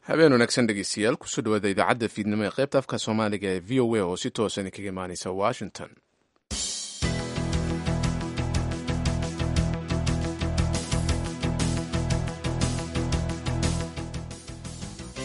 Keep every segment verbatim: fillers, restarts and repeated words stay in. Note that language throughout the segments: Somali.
Habeen wanaagsan, dhegeystayaal. Kusoo dhawaada idaacadda fiidnimo ee qaybta afka Soomaaliga ee V O A oo si toosan kaga imaaneysa Washington.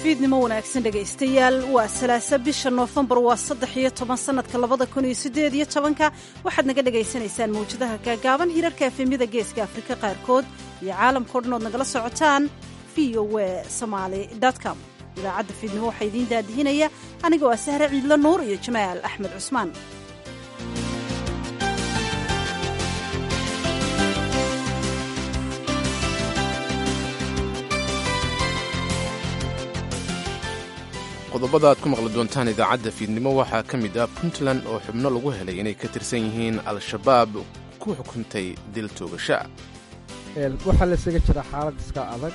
Fiidnimo wanaagsan, dhegaystayaal. Waa Salaasa, bisha Noofembar waa saddex iyo toban sanadka labada kun iyo siddeed iyo tobanka. Waxaad naga dhagaysanaysaan mawjadaha gaagaaban, hirarka F M-yada Geeska Afrika qaarkood iyo caalamka o dhan ood nagala socotaan V O A Somali com. Idaacadda fiidnimo waxaa idiin daadihinaya anigoo ah Sahre Ciidlo Nuur iyo Jamaal Axmed Cusmaan. Qodobada aad ku maqli doontaan idaacadda fiidnimo waxaa ka mid ah Puntland oo xubno lagu helay inay ka tirsan yihiin Al-Shabaab ku xukuntay dil toogasha. Waxaa laysaga jiraa xaalad iska adag.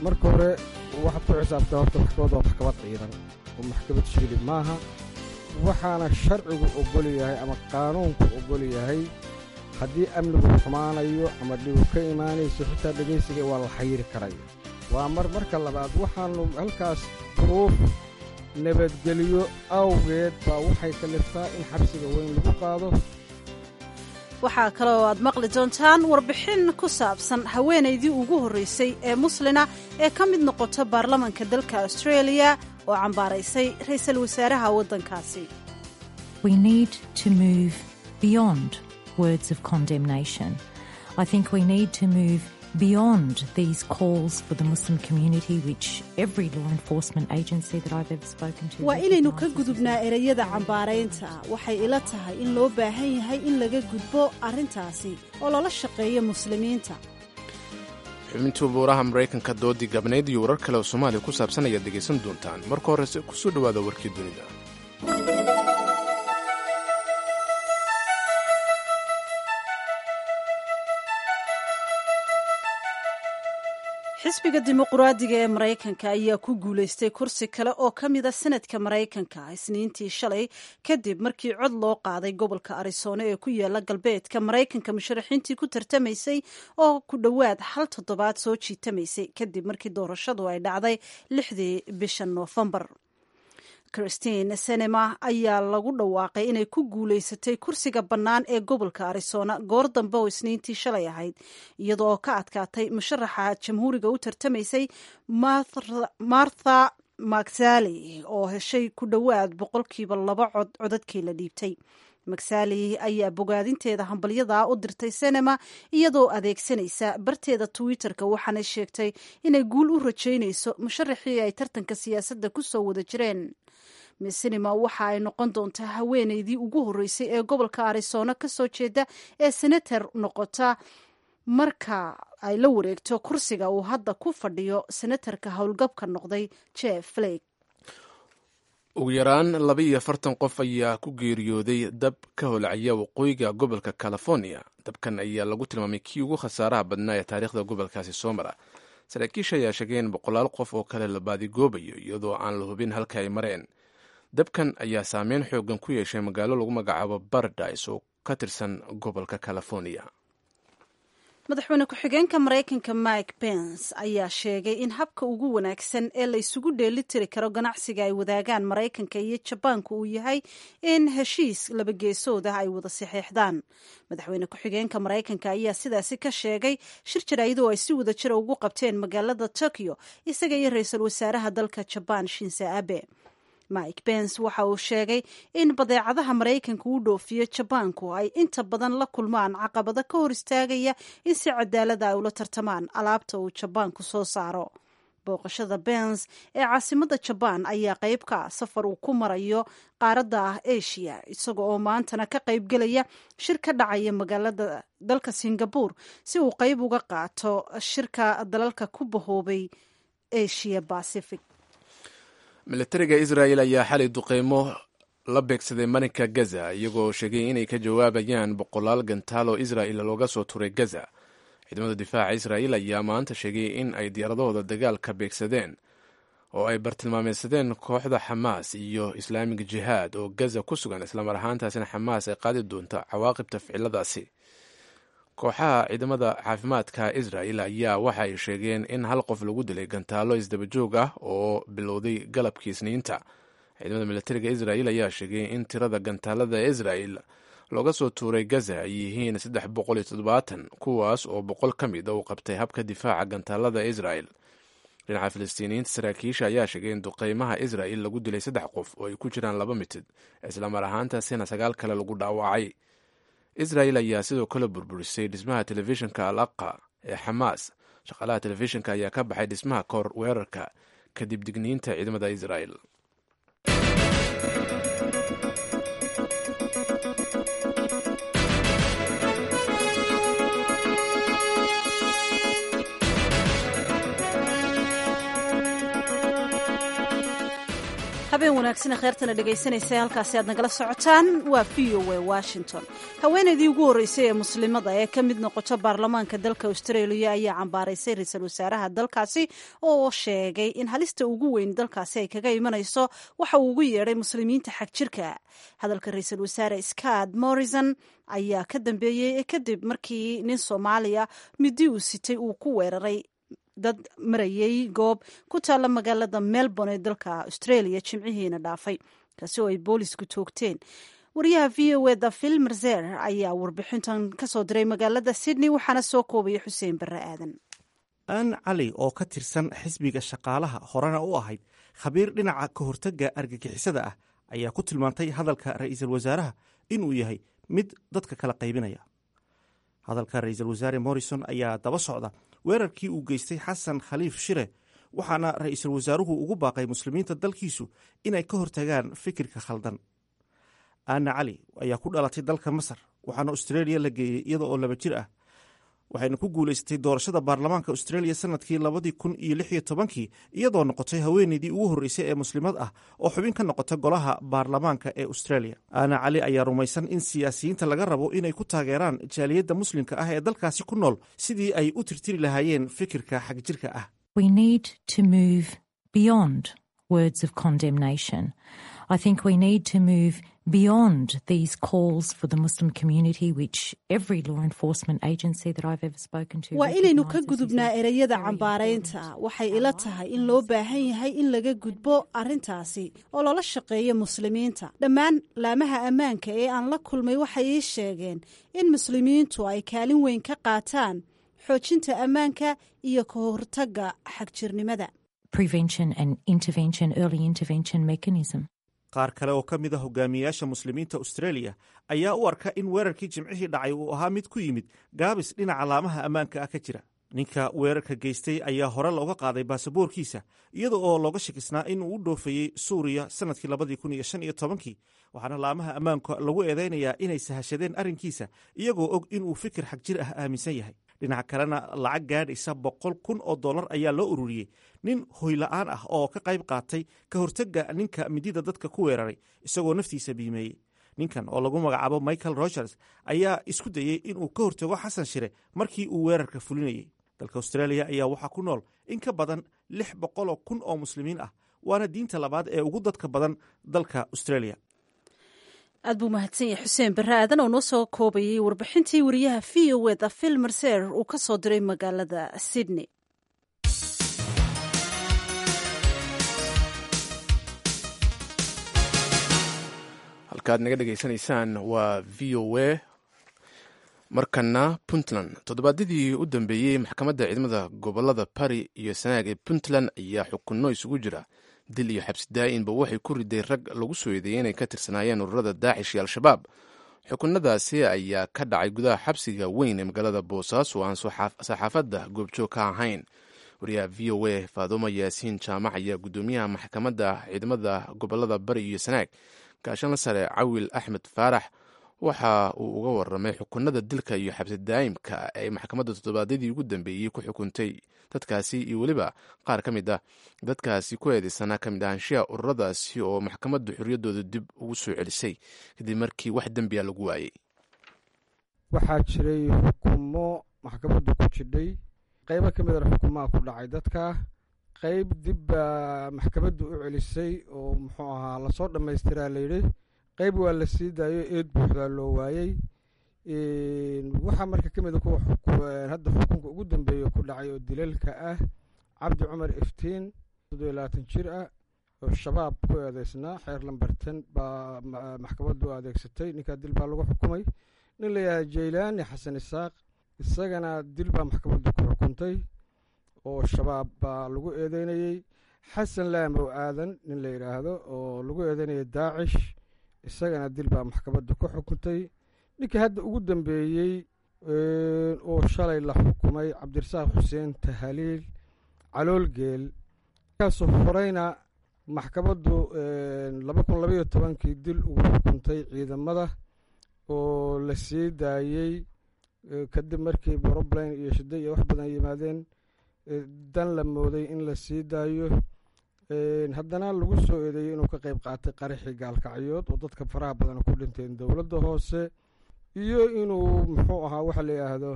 Marka hore waxaad ku xisaabtaa horta maxkamad waa maxkamad ciidan oo maxkamad shili maaha. Waxaana sharcigu ogol yahay ama qaanuunku ogol yahay, haddii amnigu xumaanayo ama dhibu ka imaanayso, xitaa dhegaysiga waa la xayiri karaya. Waa mar marka labaad, waxaannu halkaas duruuf nabadgelyo awgeed baa waxay kaliftaa in xabsiga weyn lagu qaado. Waxaa kaloo aad maqli doontaan warbixin ku saabsan haweenaydii ugu horraysay ee muslina ee ka mid noqota baarlamanka dalka Australia oo cambaaraysay ra'iisul wasaaraha waddankaasi. We need to move beyond words of condemnation. I think we need to move beyond these calls for the Muslim community, which every law enforcement agency that I've ever spoken to. Waa inaynu ka gudubnaa ereyada cambaaraynta. Waxay ila tahay in loo baahan yahay in laga gudbo arrintaasi oo lala shaqeeyo Muslimiinta. Xubintii buuraha Maraykanka, doodii gabnayd iyo warar kale oo Soomaaliya ku saabsan ayaad dhegaysan doontaan. Marka horese kusoo dhowaada warkii dunida. Xisbiga Dimuquraadiga ee Maraykanka ayaa ku guulaystay kursi kale oo ka mida Senadka Maraykanka Isniintii shalay, kadib markii cod loo qaaday gobolka Arizona ee ku yaala galbeedka Maraykanka musharaxiintii ku tartamaysay oo ku dhowaad hal toddobaad soo jiitamaysay kadib markii doorashadu ay dhacday lixdii bisha Noofembar. Kyrsten Sinema ayaa lagu dhawaaqay inay ku guulaysatay kursiga bannaan ee gobolka Arizona goor dambe oo Isniintii shalay ahayd, iyadoo ka adkaatay musharaxa Jamhuuriga u tartamaysay Martha McSally oo heshay ku dhowaad boqolkiiba laba cod codadkii la dhiibtay. McSally ayaa bogaadinteeda hambalyadaa u dirtay Sinema iyadoo adeegsanaysa barteeda Twitterka, waxaana sheegtay inay guul u rajaynayso musharaxii ay tartanka siyaasadda ku soo wada jireen. Sinema waxa ay noqon doontaa haweeneydii ugu horreysay ee gobolka Arizona ka soo jeeda ee senator noqota marka ay la wareegto kursiga uu hadda ku fadhiyo senatarka howlgabka noqday Jeff Flake. Ugu yaraan laba iyo afartan qof ayaa ku geeriyooday dab ka holcaya waqooyiga gobolka California. Dabkan ayaa lagu tilmaamay kii ugu khasaaraha badnaa ee taariikhda gobolkaasi soo mara. Saraakiisha ayaa sheegay in boqolaal qof oo kale la baadigoobayo, iyadoo aan la hubin halka ay mareen. Dabkan ayaa saameyn xoogan ku yeeshay magaalo lagu magacaabo Paradise oo ka tirsan gobolka California. Madaxweyne ku-xigeenka Maraykanka Mike Pence ayaa sheegay in habka ugu wanaagsan ee la isugu dheeli tiri karo ganacsiga ay wadaagaan Maraykanka iyo Jabaanku uu yahay in heshiis labageesood ah ay wada saxeexdaan. Madaxweyne ku-xigeenka Maraykanka ayaa sidaasi ka sheegay shir jaraa'id oo ay si wada jira ugu qabteen magaalada Tokyo isaga iyo ra-iisul wasaaraha dalka Jabaan Shinzo Abe. Mike Pence waxa uu sheegay in badeecadaha Maraykanka u dhoofiyo Jabaanku ay inta badan la kulmaan caqabado ka hor istaagaya in si cadaalada ay ula tartamaan alaabta uu Jabaanku soo saaro. Booqashada Pence ee caasimada Jabaan ayaa qayb ka ah safar uu ku marayo qaaradda ah Asia, isaga oo maantana ka qaybgelaya shir ka dhacaya magaalada dalka Singapore si uu qayb uga qaato shirka dalalka ku bahoobay Asia Pacific. Militariga Israel ayaa xalay duqeymo la beegsaday marinka Gaza, iyagoo sheegay inay ka jawaabayaan boqolaal gantaal oo Israel looga soo turay Gaza. Ciidamada difaaca Israel ayaa maanta sheegay in ay diyaaradahooda dagaalka beegsadeen oo ay bartilmaameysadeen kooxda Xamaas iyo Islaamic Jihaad oo Gaza ku sugan, islamar ahaantaasina Xamaas ay qaadi doonta cawaaqibta ficiladaasi. Kooxaha ciidamada caafimaadka Israel ayaa waxa ay sheegeen in hal qof lagu dilay gantaalo isdabajoog ah oo bilowday galabkii Isniinta. Ciidamada militariga Israel ayaa sheegay in tirada gantaalada Israel looga soo tuuray Gaza ay yihiin saddex boqol iyo toddobaatan, kuwaas oo boqol ka mid a uu qabtay habka difaaca gantaalada Israel. Dhinaca Filistiiniyiinta, saraakiisha ayaa sheegay in duqeymaha Israel lagu dilay saddex qof oo ay ku jiraan laba mitid, islamar ahaantaasina sagaal kale lagu dhaawacay. Israel ayaa sidoo kale burburisay dhismaha telefishinka Al Aqa ee Xamaas. Shaqaalaha telefishinka ayaa ka baxay dhismaha kahor weerarka kadib digniinta ciidamada Israel. Habeen wanaagsan kheertana dhegaysanaysa, halkaasi aad nagala socotaan waa V O A Washington. Haweenaydii ugu horreysay ee muslimada ee ka mid noqota baarlamaanka dalka Australia ayaa cambaaraysay ra-iisul wasaaraha dalkaasi oo sheegay in halista ugu weyn dalkaasi ay kaga imanayso waxa uu ugu yeedhay muslimiinta xag jirka. Hadalka ra-iisul wasaare Scott Morrison ayaa ka dambeeyey kadib markii nin Soomaaliya midi uu sitay uu ku weeraray dad marayay goob ku taalla magaalada Melbourne ee dalka Australia jimcihiina dhaafay, kaasi oo ay boolisku toogteen. Wariyaha V O eda Phil Merzer ayaa warbixintan kasoo diray magaalada Sydney, waxaana soo koobaya Xuseen Barre Aadan. Aan Cali oo ka tirsan xisbiga shaqaalaha, horena u ahayd khabiir dhinaca ka hortagga argagixisada ah, ayaa ku tilmaantay hadalka ra'iisul wasaaraha inuu yahay mid dadka kala qaybinaya. Hadalka ra'iisul wasaare Morrison ayaa daba socda weerarkii uu geystay Xasan Khaliif Shire, waxaana ra'iisul wasaaruhu ugu baaqay muslimiinta dalkiisu inay ka hortagaan fikirka khaldan. Anna Cali ayaa ku dhalatay dalka Masar, waxaana Australia la geeyey iyada oo laba jir ah, waxayna ku guulaysatay doorashada baarlamaanka Australia sanadkii labadii kun iyo lix iyo tobankii, iyadoo noqotay haweeneydii ugu horreysay ee muslimad ah oo xubin ka noqota golaha baarlamaanka ee Australia. Ana Cali ayaa rumaysan in siyaasiyiinta laga rabo inay ku taageeraan jaaliyadda muslimka ah ee dalkaasi ku nool sidii ay u tirtiri lahaayeen fikirka xagjirka ah. We need to move beyond words of condemnation. I think we need to move beyond these calls for the Muslim community, which every law enforcement agency that I've ever spoken to. Waa inaynu ka gudubnaa ereyada cambaaraynta. Waxay ila tahay in loo baahan yahay in laga gudbo arrintaasi oo lala shaqeeyo muslimiinta. Dhammaan laamaha ammaanka ee aan la kulmay waxay ii sheegeen in muslimiintu ay kaalin weyn ka qaataan xoojinta ammaanka iyo ka hortagga xagjirnimada. Prevention and intervention, early intervention mechanism. Qaar kale oo ka mid a hogaamiyeyaasha muslimiinta Australia ayaa u arka in weerarkii jimcihii dhacay uu ahaa mid ku yimid gaabis dhinaca laamaha ammaanka ah ka jira. Ninka weerarka geystay ayaa hore looga qaaday baasaboorkiisa, iyada oo looga shakisnaa in uu u dhoofayey Suuriya sanadkii labadii kun iyo shan iyo tobankii, waxaana laamaha ammaanka lagu eedeynayaa inay sahashadeen arrinkiisa iyagoo og inuu fikir xagjir ah aaminsan yahay. Dhinaca kalena, lacag gaadhaysa boqol kun oo dollar ayaa loo ururiyey nin hoyla'aan ah oo ka qayb qaatay ka hortagga ninka midida dadka ku weeraray isagoo naftiisa biimeeyey. Ninkan oo lagu magacaabo Michael Rogers ayaa isku dayey inuu ka hortago Xasan Shire markii uu weerarka fulinayey. Dalka Australia ayaa waxaa ku nool in ka badan lix boqoloo kun oo muslimiin ah, waana diinta labaad ee ugu dadka badan dalka Australia. Aad buu mahadsan yahay Xuseen Barre Aadan oo noo soo koobayay warbixintii wariyaha V O eda Phil Mercer uu ka soo diray magaalada Sydney. Halkaad naga dhegaysanaysaan waa V O A. Markana Puntland. Toddobaadyadii u dambeeyey, maxkamadda ciidamada gobolada Bari iyo Sanaag ee Puntland ayaa xukunno isugu jira dil iyo xabsi daa'inba waxay ku riday rag lagu soo eedeeyey inay ka tirsanaayeen ururada Daacish iyo Al-Shabaab. Xukunadaasi ayaa ka dhacay gudaha xabsiga weyn ee magaalada Boosaaso oo aan saxaafadda goobjoog ka ahayn. Wariyaha V O A Faadumo Yaasiin Jaamac ayaa guddoomiyaha maxkamadda ciidamada gobolada Bari iyo Sanaag, gaashanla sare Cawil Axmed Faarax, waxa uu uga waramay xukunada dilka iyo xabsi daa'imka ay maxkamadda toddobaadyadii ugu dambeeyey ku xukuntay dadkaasi, iyo weliba qaar ka mid ah dadkaasi ku eedeysanaa ka mid ahaanshiha ururadaasi oo maxkamaddu xorriyaddooda dib ugu soo celisay kadib markii wax dembiya lagu waayey. Waxaa jiray xukumo maxkamaddu ku jidhay. Qaybo ka midana xukumaha ku dhacay dadka, qayb dib baa maxkamaddu u celisay oo muxuu ahaa lasoo dhammaystiraa layidhi, qayb waa la sii daayo, eed buuxdaa loo waayey. Waxaa marka ka mid a kuwa hadda xukunka ugu dambeeya ku dhacay oo dilalka ah Cabdi Cumar Iftiin, toddobiyo labaatan jir ah, oo Shabaab ku eedeysnaa. Xeer lambartan baa maxkamaddu adeegsatay. Ninkaa dil baa lagu xukumay. Nin la yidhahda Jaylaani Xasan Isaaq, isagana dil baa maxkamaddu ku xukuntay oo Shabaab baa lagu eedeynayey. Xasan Laamow Aadan nin la yidhaahdo oo lagu eedeynayay Daacish, isagana dil baa maxkamaddu ku xukuntay. Ninkii hadda ugu dambeeyey oo shalay la xukumay, Cabdirasaaq Xuseen Tahaliil Caloolgeel, kaasoo horeyna maxkamaddu laba kun labaiyo tobankii dil ugu xukuntay ciidamada oo la sii daayey kadib markii brobline iyo shida iyo wax badan yimaadeen, dan la mooday in la sii daayo, haddana lagu soo eedeeyey inuu ka qeyb qaatay qaraxii Gaalkacyood oo dadka faraha badan ku dhinteen dowladda hoose, iyo inuu muxuu ahaa waxa la yidhaahdo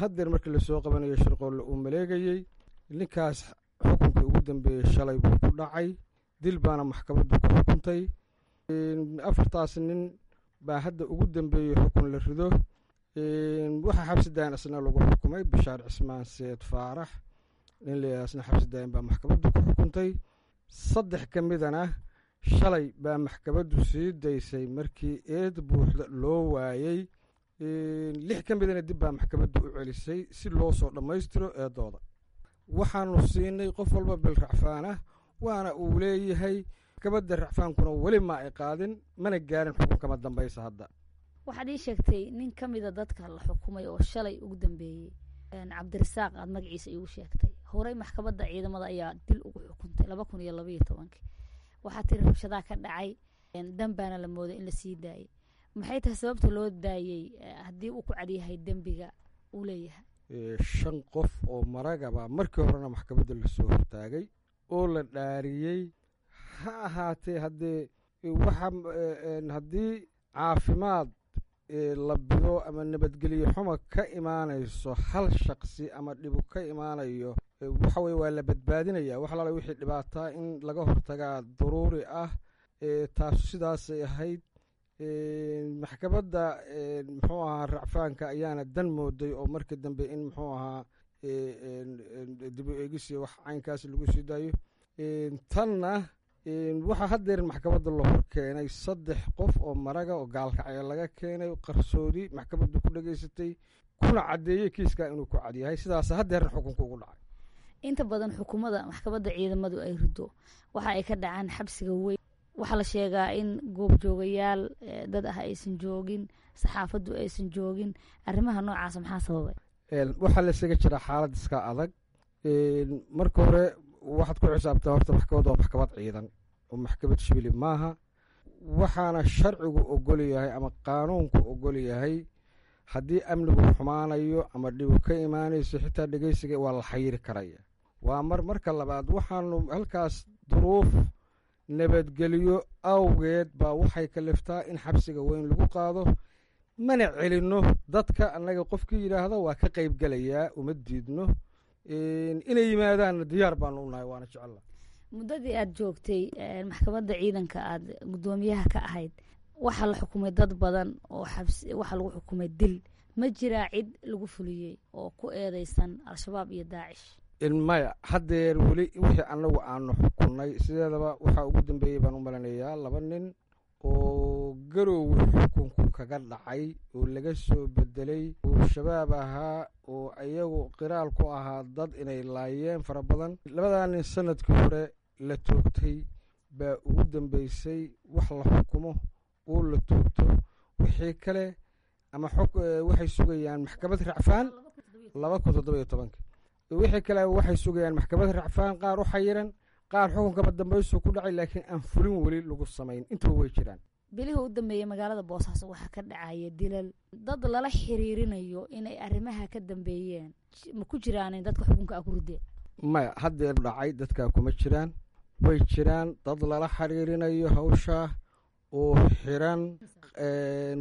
haddeer markii lasoo qabanayo shirqoolle uu maleegayey. Ninkaas xukunkii ugu dambeeyey shalay buu ku dhacay, dil baana maxkamaddu ku xukuntay. Afartaas nin baa hadda ugu dambeeyey xukun la rido. Waxaa xabsi daayan isna lagu xukumay Bishaar Cismaan Seed Faarax nin la yidhahdo, isna xabsi daayan baa maxkamaddu ku xukuntay. Saddex ka midana shalay baa maxkamaddu sii daysay markii eed buuxda loo waayey. Lix ka midana dib baa maxkamaddu u celisay si loo soo dhammaystiro eedooda. Waxaanu siinay qof walba bil racfaan ah, waana uu leeyahay. Maxkamadda racfaankuna weli ma ay qaadin, mana gaarin xukunkama dambaysa hadda. Waxaad ii sheegtay nin ka mida dadka la xukumay oo shalay ugu dambeeyey, Cabdirasaaq aad magaciisa iigu sheegtay, horey maxkamadda ciidamada ayaa dil ugu xukuntay laba kun iyo labaiyo tobankii. Waxaa tiri rabshadaa ka dhacay, dan baana la mooday in lasii daayay. Maxay tahay sababta loo daayey haddii uu ku cadyahay dembiga uu leeyahay? Shan qof oo maragaba markii horena maxkamadda lasoo hortaagay oo la dhaariyey. Ha ahaatee, haddee waxa haddii caafimaad la bido ama nabadgelyo xuma ka imaanayso hal shaqsi ama dhibu ka imaanayo, waxa weye waa la badbaadinaya. Wax alaala wixii dhibaataa in laga hortagaa daruuri ah. Taasu sidaasay ahayd. Maxkamadda muxuu ahaa racfaanka ayaana dan mooday oo markii dambe in muxuu ahaa dib u eegis iyo wax caynkaas lagu sii daayo. Tanna waxaa haddeer maxkamadda la hor keenay saddex qof oo maraga oo Gaalkacyo laga keenay, qarsoodi maxkamaddu ku dhegaysatay, kuna caddeeyey kiiskaa inuu ku cadyahay. Sidaas haddeerna xukunka ugu dhacay. Inta badan xukumada maxkamadda ciidamadu ay rido waxa ay ka dhacaan xabsiga weyn. Waxaa la sheegaa in goobjoogayaal dad ah aysan joogin, saxaafaddu aysan joogin. Arrimaha noocaasa maxaa sababay? Waxaa laysaga jiraa xaalad iska adag. Marka hore waxaad ku xisaabtaa horta maxkamad waa maxkamad ciidan oo maxkamad shibili maaha. Waxaana sharcigu ogol yahay ama qaanuunku ogol yahay haddii amnigu xumaanayo ama dhibu ka imaanayso, xitaa dhegeysiga waa la xayiri karaya. Waa mar marka labaad, waxaanu halkaas duruuf nabadgelyo awgeed baa waxay kaliftaa in xabsiga weyn lagu qaado. Mana celinno dadka annaga, qofkii yidhaahdo waa ka qaybgelayaa uma diidno, inay yimaadaanna diyaar baanu u nahay, waana jecella. Muddadii aad joogtay maxkamadda ciidanka aad guddoomiyaha ka ahayd, waxaa la xukumay dad badan oo xabsi, waxaa lagu xukumay dil. Ma jiraa cid lagu fuliyey oo ku eedeysan Al-Shabaab iyo Daacish? Maya, haddeer weli wixii annagu aanu xukunnay sideedaba waxaa ugu dambeeyey baan u malanayaa laba nin oo Garoowe xukunku kaga dhacay oo laga soo bedelay oo Shabaab ahaa oo iyagu qiraal ku ahaa dad inay laayeen fara badan. Labadaa nin sanadkii hore la toogtay baa ugu dambeysay wax la xukumo oo la toogto. Wixii kale ama xog waxay sugayaan maxkamad racfaan laba kun toddoba iyo tobanka. Wixii kale waxay sugayaan maxkamad racfaan, qaar u xayiran, qaar xukunkaba dambaysu ku dhacay laakiin aan fulin weli lagu samayn. Intaba way jiraan. Bilihii u dambeeyey magaalada Boosaaso waxaa ka dhacaya dilal dad lala xiriirinayo inay arrimaha ka dambeeyeen. Ma ku jiraanin dadka xukunka a ku rideen? Maya, haddeer dhacay dadkaa kuma jiraan. Way jiraan dad lala xiriirinayo hawshaa oo xiran.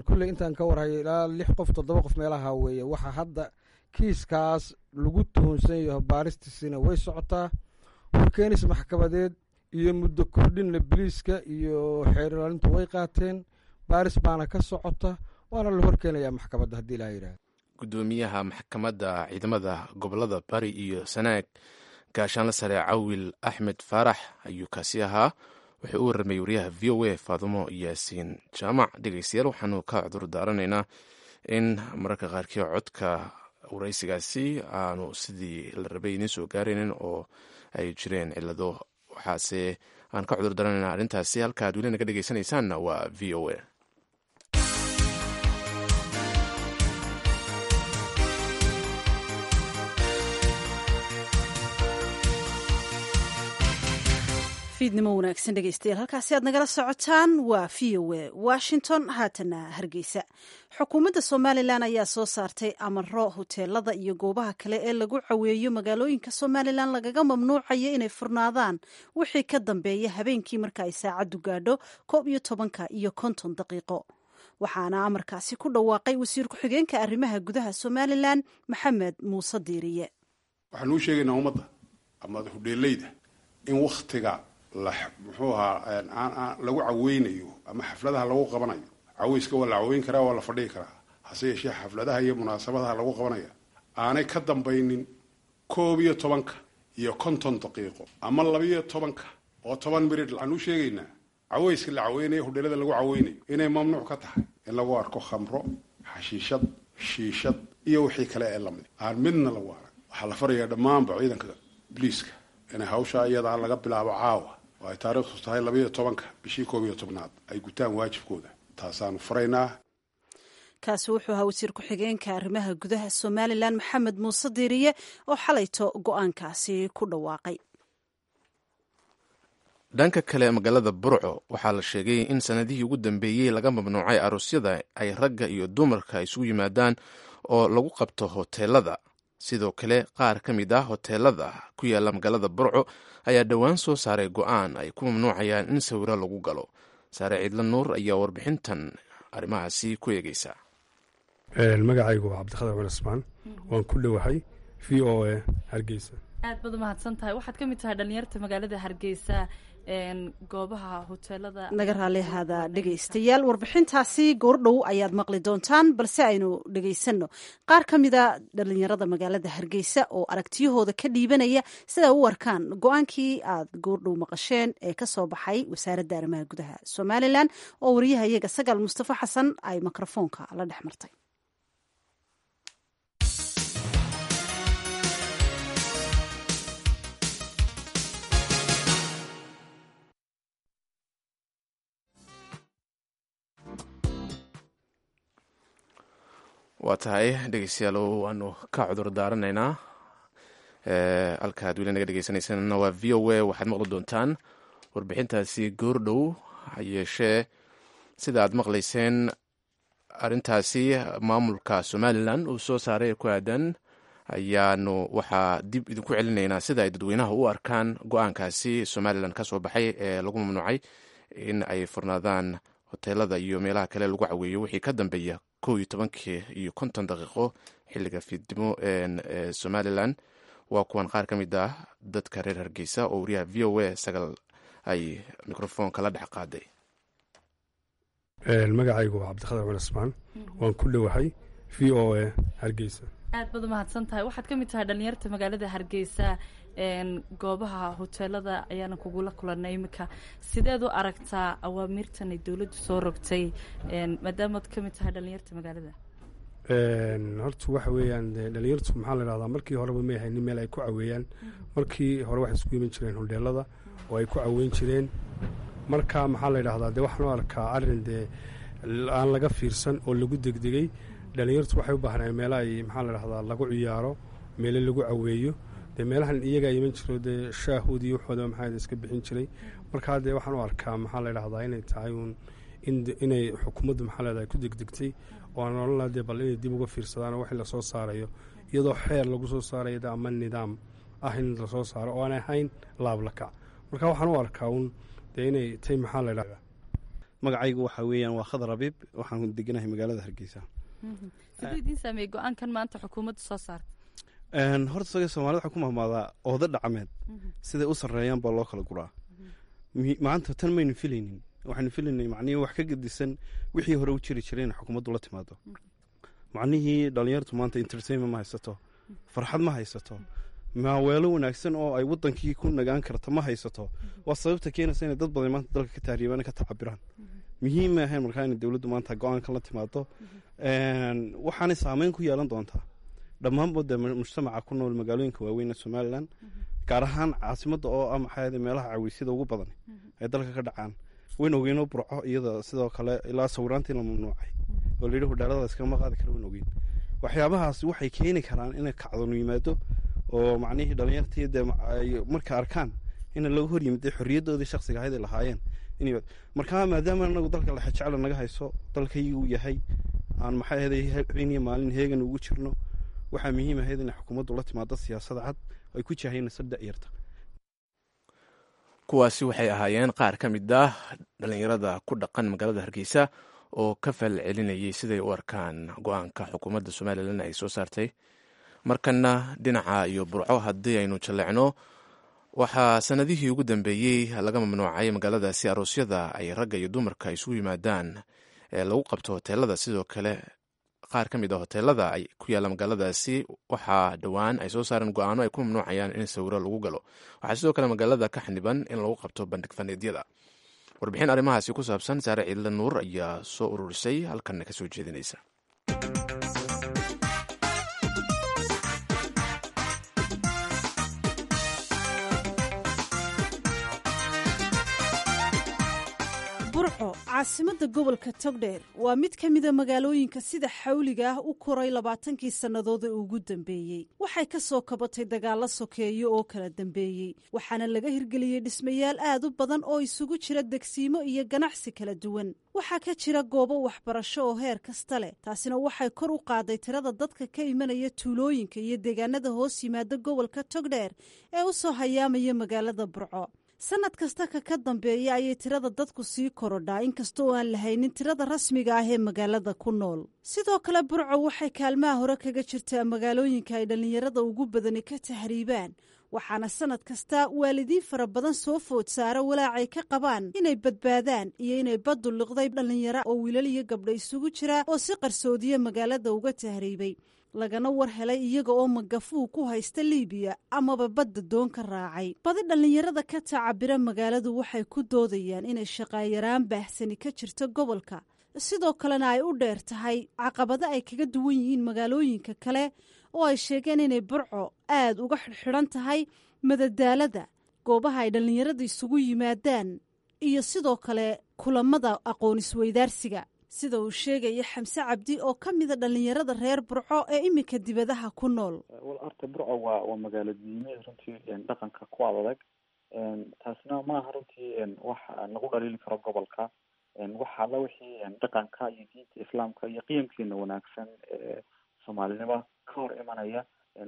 Kulley intaan ka warhayo ilaa lix qof toddoba qof meelaha weeye waxa hadda kiiskaas lagu tuhunsan yaho. Baaristiisina way socotaa, horkeenis maxkamadeed iyo muddo kordhinna biliiska iyo xeer ilaalintu way qaateen, baaris baana ka socota. Waana la horkeenayaa maxkamadda haddii ilaa yidhahdo. Gudoomiyaha maxkamadda ciidamada gobolada Bari iyo Sanaag, gaashaanla sare Cawil Axmed Faarax ayuu kaasi ahaa. Wuxuu u warramay wariyaha V O A Faadumo Yaasiin Jaamac. Dhegeystayaal, waxaanu ka cudur daaranaynaa in mararka qaarkii codka waraysigaasi aanu sidii la rabay idiin soo gaaraynin oo ay jireen cilado, waxaase aan ka cudur daaranaynaa arrintaasi. Halka aad weli naga dhegeysanaysaanna waa V O A. Fiidnimo wanaagsan dhegeystayaal, halkaasi aad nagala socotaan waa V O A Washington. Haatana Hargeysa. Xukuumadda Somalilan ayaa soo saartay amaro hoteelada iyo goobaha kale ee lagu caweeyo magaalooyinka Somalilan lagaga mamnuucayo inay furnaadaan wixii ka dambeeya habeenkii marka ay saacaddu gaadho koob iyo tobanka iyo konton daqiiqo. Waxaana amarkaasi ku dhawaaqay wasiir ku-xigeenka arrimaha gudaha Somalilan, Maxamed Muuse Diiriye. Waxaan uu sheegaynaa ummadda ama hudheeleyda in wakhtiga muxuu ahaa lagu caweynayo ama xafladaha lagu qabanayo, caweyska waa la caweyn karaa, waa la fadhigi karaa, hase yeeshee xafladaha iyo munaasabadaha lagu qabanaya aanay ka dambaynin koob iyo tobanka iyo konton daqiiqo ama labiyo tobanka oo toban mirid. Waxaan u sheegaynaa caweyska la caweynayo, hudheelada lagu caweynayo, inay mamnuuc ka tahay in lagu arko khamro, xashiishad, shiishad iyo wixii kale ee lamid aan midna lagu arag. Waxaa la farayaa dhammaanba ciidanka biliiska inay hawshaa iyadaa laga bilaabo caawa oo ay taariikhdu tahay labayo tobanka bishii koob iyo tobnaad ay gutaan waajibkooda. Taasaanu furaynaa. Kaasi wuxuu ahaa wasiir ku-xigeenka arrimaha gudaha Somalilan, Maxamed Muuse Diiriye, oo xalayto go-aankaasi ku dhawaaqay. Dhanka kale, magaalada Burco waxaa la sheegay in sanadihii ugu dambeeyey laga mamnuucay aroosyada ay ragga iyo dumarka isugu yimaadaan oo lagu qabto hoteelada. Sidoo kale qaar ka mid ah hoteelada ku yaala magaalada Burco ayaa dhowaan soo saaray go-aan ay ku mamnuucayaan in sawiro lagu galo. Saare Ciidla Nuur ayaa warbixintan arrimahaasi ku eegeysa. Magacaygu waa Cabdikhadar cumar Ismaan, waan ku dhowahay V O A Hargeysa. Aad baad umahadsan tahay. Waxaad ka mid tahay dhalinyarta magaalada Hargeysa, goobaha hoteelada. Naga raali ahaada dhegeystayaal, warbixintaasi goordhow ayaad maqli doontaan, balse aynu dhegeysanno qaar ka mida dhalinyarada magaalada Hargeysa oo aragtiyahooda ka dhiibanaya siday u arkaan go-aankii aad goordhow maqasheen ee kasoo baxay wasaaradda arrimaha gudaha Somalilan, oo wariyaha iyaga Sagaal Mustafa Xasan ay mikrofoonka la dhex martay. Waa tahay dhegeystayaal, waanu ka cudur daaranaynaa. Halkaad weli naga dhegeysaneysana waa V O A. Waxaad maqli doontaan warbixintaasi goordhow. Ha yeeshee, sida aad maqlayseen, arrintaasi maamulka Somalilan uu soo saaray ku aadan ayaanu waxaa dib idinku celinaynaa sida ay dadweynaha u arkaan go-aankaasi Somalilan ka soo baxay ee lagu mamnuucay in ay furnaadaan hoteelada iyo meelaha kale lagu caweeyo wixii ka dambeeya kow iyo tobankii iyo konton daqiiqo xilliga fiidnimo ee Somalilan. Waa kuwan qaar ka mid ah dadka reer Hargeysa oo wariyaha V O A Sagal ay mikrofoonka la dhex qaaday. Magacaygu waa Cabdikhadar cumar Ismaan, waan ku dhowahay V O A Hargeysa. Aad baad umahadsan tahay. Waxaad ka mid tahay dhalinyarta magaalada Hargeysa, goobaha hoteelada ayaana kugula kulanay iminka. Sideed u aragtaa awaamirtan ay dowladdu soo rogtay maadaamaad ka mid tahay dhalinyarta magaalada? Horta waxa weeyaan dhalinyartu maxaa la idhahdaa, markii horeba may haynin meel ay ku caweeyaan. Markii hore waxay isku iman jireen hodheelada oo ay ku caweyn jireen. Marka maxaa la idhahdaa, dee waxaan u arkaa arrin dee aan laga fiirsan oo lagu degdegay. Dhalinyartu waxay u baahnaan meelo ay maxaa la idhahdaa lagu ciyaaro, meelo lagu caweeyo. Dee meelahan iyagaa iman jiro, dee shaahood iyo waxooda maxaa iska bixin jiray. Markaa dee waxaan u arkaa maxaa la idhahdaa inay tahay uun inay xukuumaddu maxaa la idhahdaa ku degdegtay, oo aan odhan lahaa dee bal inay dib uga fiirsadaan oo wixii lasoo saarayo iyadoo xeer lagu soo saarayo de ama nidaam ah in lasoo saaro oo aan ahayn laablakac. Marka waxaan u arkaa uun dee inay tay maxaa la idhahdaa. Magacaygu waxaa weeyaan waa Khadar Abiib, waxaan deganahay magaalada Hargeysa. Siduu idiin saameeyey go-aankan maanta xukuumaddu soo saartay? Horta saga Soomaalida waxaa ku mahmaadaa ooda dhacmeed siday u sarreeyaan baa loo kala guraa. Maanta tan maynu filaynin. Waxaynu filaynay macnihii wax ka gedisan wixii hore u jiri jiray in xukuumaddu la timaado. Macnihii dhalinyartu maanta entertainment ma haysato, farxad ma haysato, maaweelo wanaagsan oo ay wadankii ku nagaan karta ma haysato. Waa sababta keenaysa inay dad badan maanta dalka ka tahriibaan, ka tacabiraan. Muhiim ma ahayn markaa inay dowladdu maanta go-aankan la timaado. Waxaanay saameyn ku yeelan doontaa dhammaanba dee mujtamaca ku nool magaalooyinka waaweyn ee Somaliland, gaar ahaan caasimadda oo ah maxaa meelaha caweysyada ugu badan ay dalka ka dhacaan. Wayn ogeynoo Burco iyada sidoo kale ilaa sawiraantii la mamnuucay oo layidhi hudheelada iskama qaadi kara. Wayn ogeyn waxyaabahaasi waxay keeni karaan inay kacdoon yimaado oo macnihii dhalinyartii dee ay marka arkaan in laga hor yimid xorriyaddoodii shaksiga ahayd ay lahaayeen. Markaa maadaama anagu dalka lexejecla naga hayso, dalkaygu yahay aan maxay ahayd habeen iyo maalin heegan ugu jirno, waxaa muhiim ahayd inay xukuumaddu la timaado siyaasad cad ay ku jahaynayso da'yarta. Kuwaasi waxay ahaayeen qaar ka mid ah dhalinyarada ku dhaqan magaalada Hargeysa oo ka fal celinayay siday u arkaan go-aanka xukuumadda Somaliland ay soo saartay. Markana dhinaca iyo Burco haddii aynu jalleecno, waxaa sanadihii ugu dambeeyey laga mamnuucay magaaladaasi aroosyada ay ragga iyo dumarka isugu yimaadaan ee lagu qabto hoteelada. Sidoo kale qaar ka mid a hoteelada ay ku yaalla magaaladaasi waxaa dhowaan ay soo saareen go-aano ay ku mamnuucayaan in sawiro lagu galo. Waxaa sidoo kale magaalada ka xaniban in lagu qabto bandhig faneedyada. Warbixin arrimahaasi ku saabsan Saare Ciidle Nuur ayaa soo ururisay, halkanna ka soo jeedinaysa. Burco, caasimadda gobolka Togdheer, waa mid ka mida magaalooyinka sida xawliga ah u koray labaatankii sannadood ee ugu dambeeyey. Waxay ka soo kabatay dagaallo sokeeyo oo kala dambeeyey, waxaana laga hirgeliyey dhismayaal aad u badan oo isugu jira degsiimo iyo ganacsi kala duwan. Waxaa ka jira goobo waxbarasho oo heer kasta leh, taasina waxay kor u qaaday tirada dadka ka imanaya tuulooyinka iyo deegaanada hoos yimaada gobolka Togdheer ee u soo hayaamaya magaalada Burco. Sanad kasta ka ka dambeeya ayay tirada dadku sii korodhaa, inkasta oo aan lahaynin tirada rasmiga ah ee magaalada ku nool. Sidoo kale Burco waxay kaalmaha hore kaga jirtaa magaalooyinka ay dhallinyarada ugu badani ka tahriibaan, waxaana sanad kasta waalidiin fara badan soo food saara walaacay ka qabaan inay badbaadaan iyo inay baddu liqday dhallinyaro oo wiilal iyo gabdho isugu jira oo si qarsoodiya magaalada uga tahriibay, lagana war helay iyaga oo magafuu ku haysta Liibiya amaba badda doon ka raacay. Badi dhallinyarada ka tacabira magaaladu waxay ku doodayaan inay shaqaayaraan baahsani ka jirto gobolka, sidoo kalena ay u dheer tahay caqabado ay kaga duwan yihiin magaalooyinka kale oo ay sheegeen inay Burco aad uga xidhxidhan tahay madadaalada, goobaha ay dhallinyarada isugu yimaadaan iyo sidoo kale kulamada aqoon isweydaarsiga, sida uu sheegaya Xamse Cabdi oo ka mida dhallinyarada reer Burco ee iminka dibadaha ku nool. Wal arta Burco waa waa magaalo diimeed runtii dhaqanka ku adag, taasna maaha runtii wax lagu dhaliili karo gobolka. Waxa alla wixii dhaqanka iyo diinta islaamka iyo qiyamkeena wanaagsan ee soomaalinimo ka hor imanaya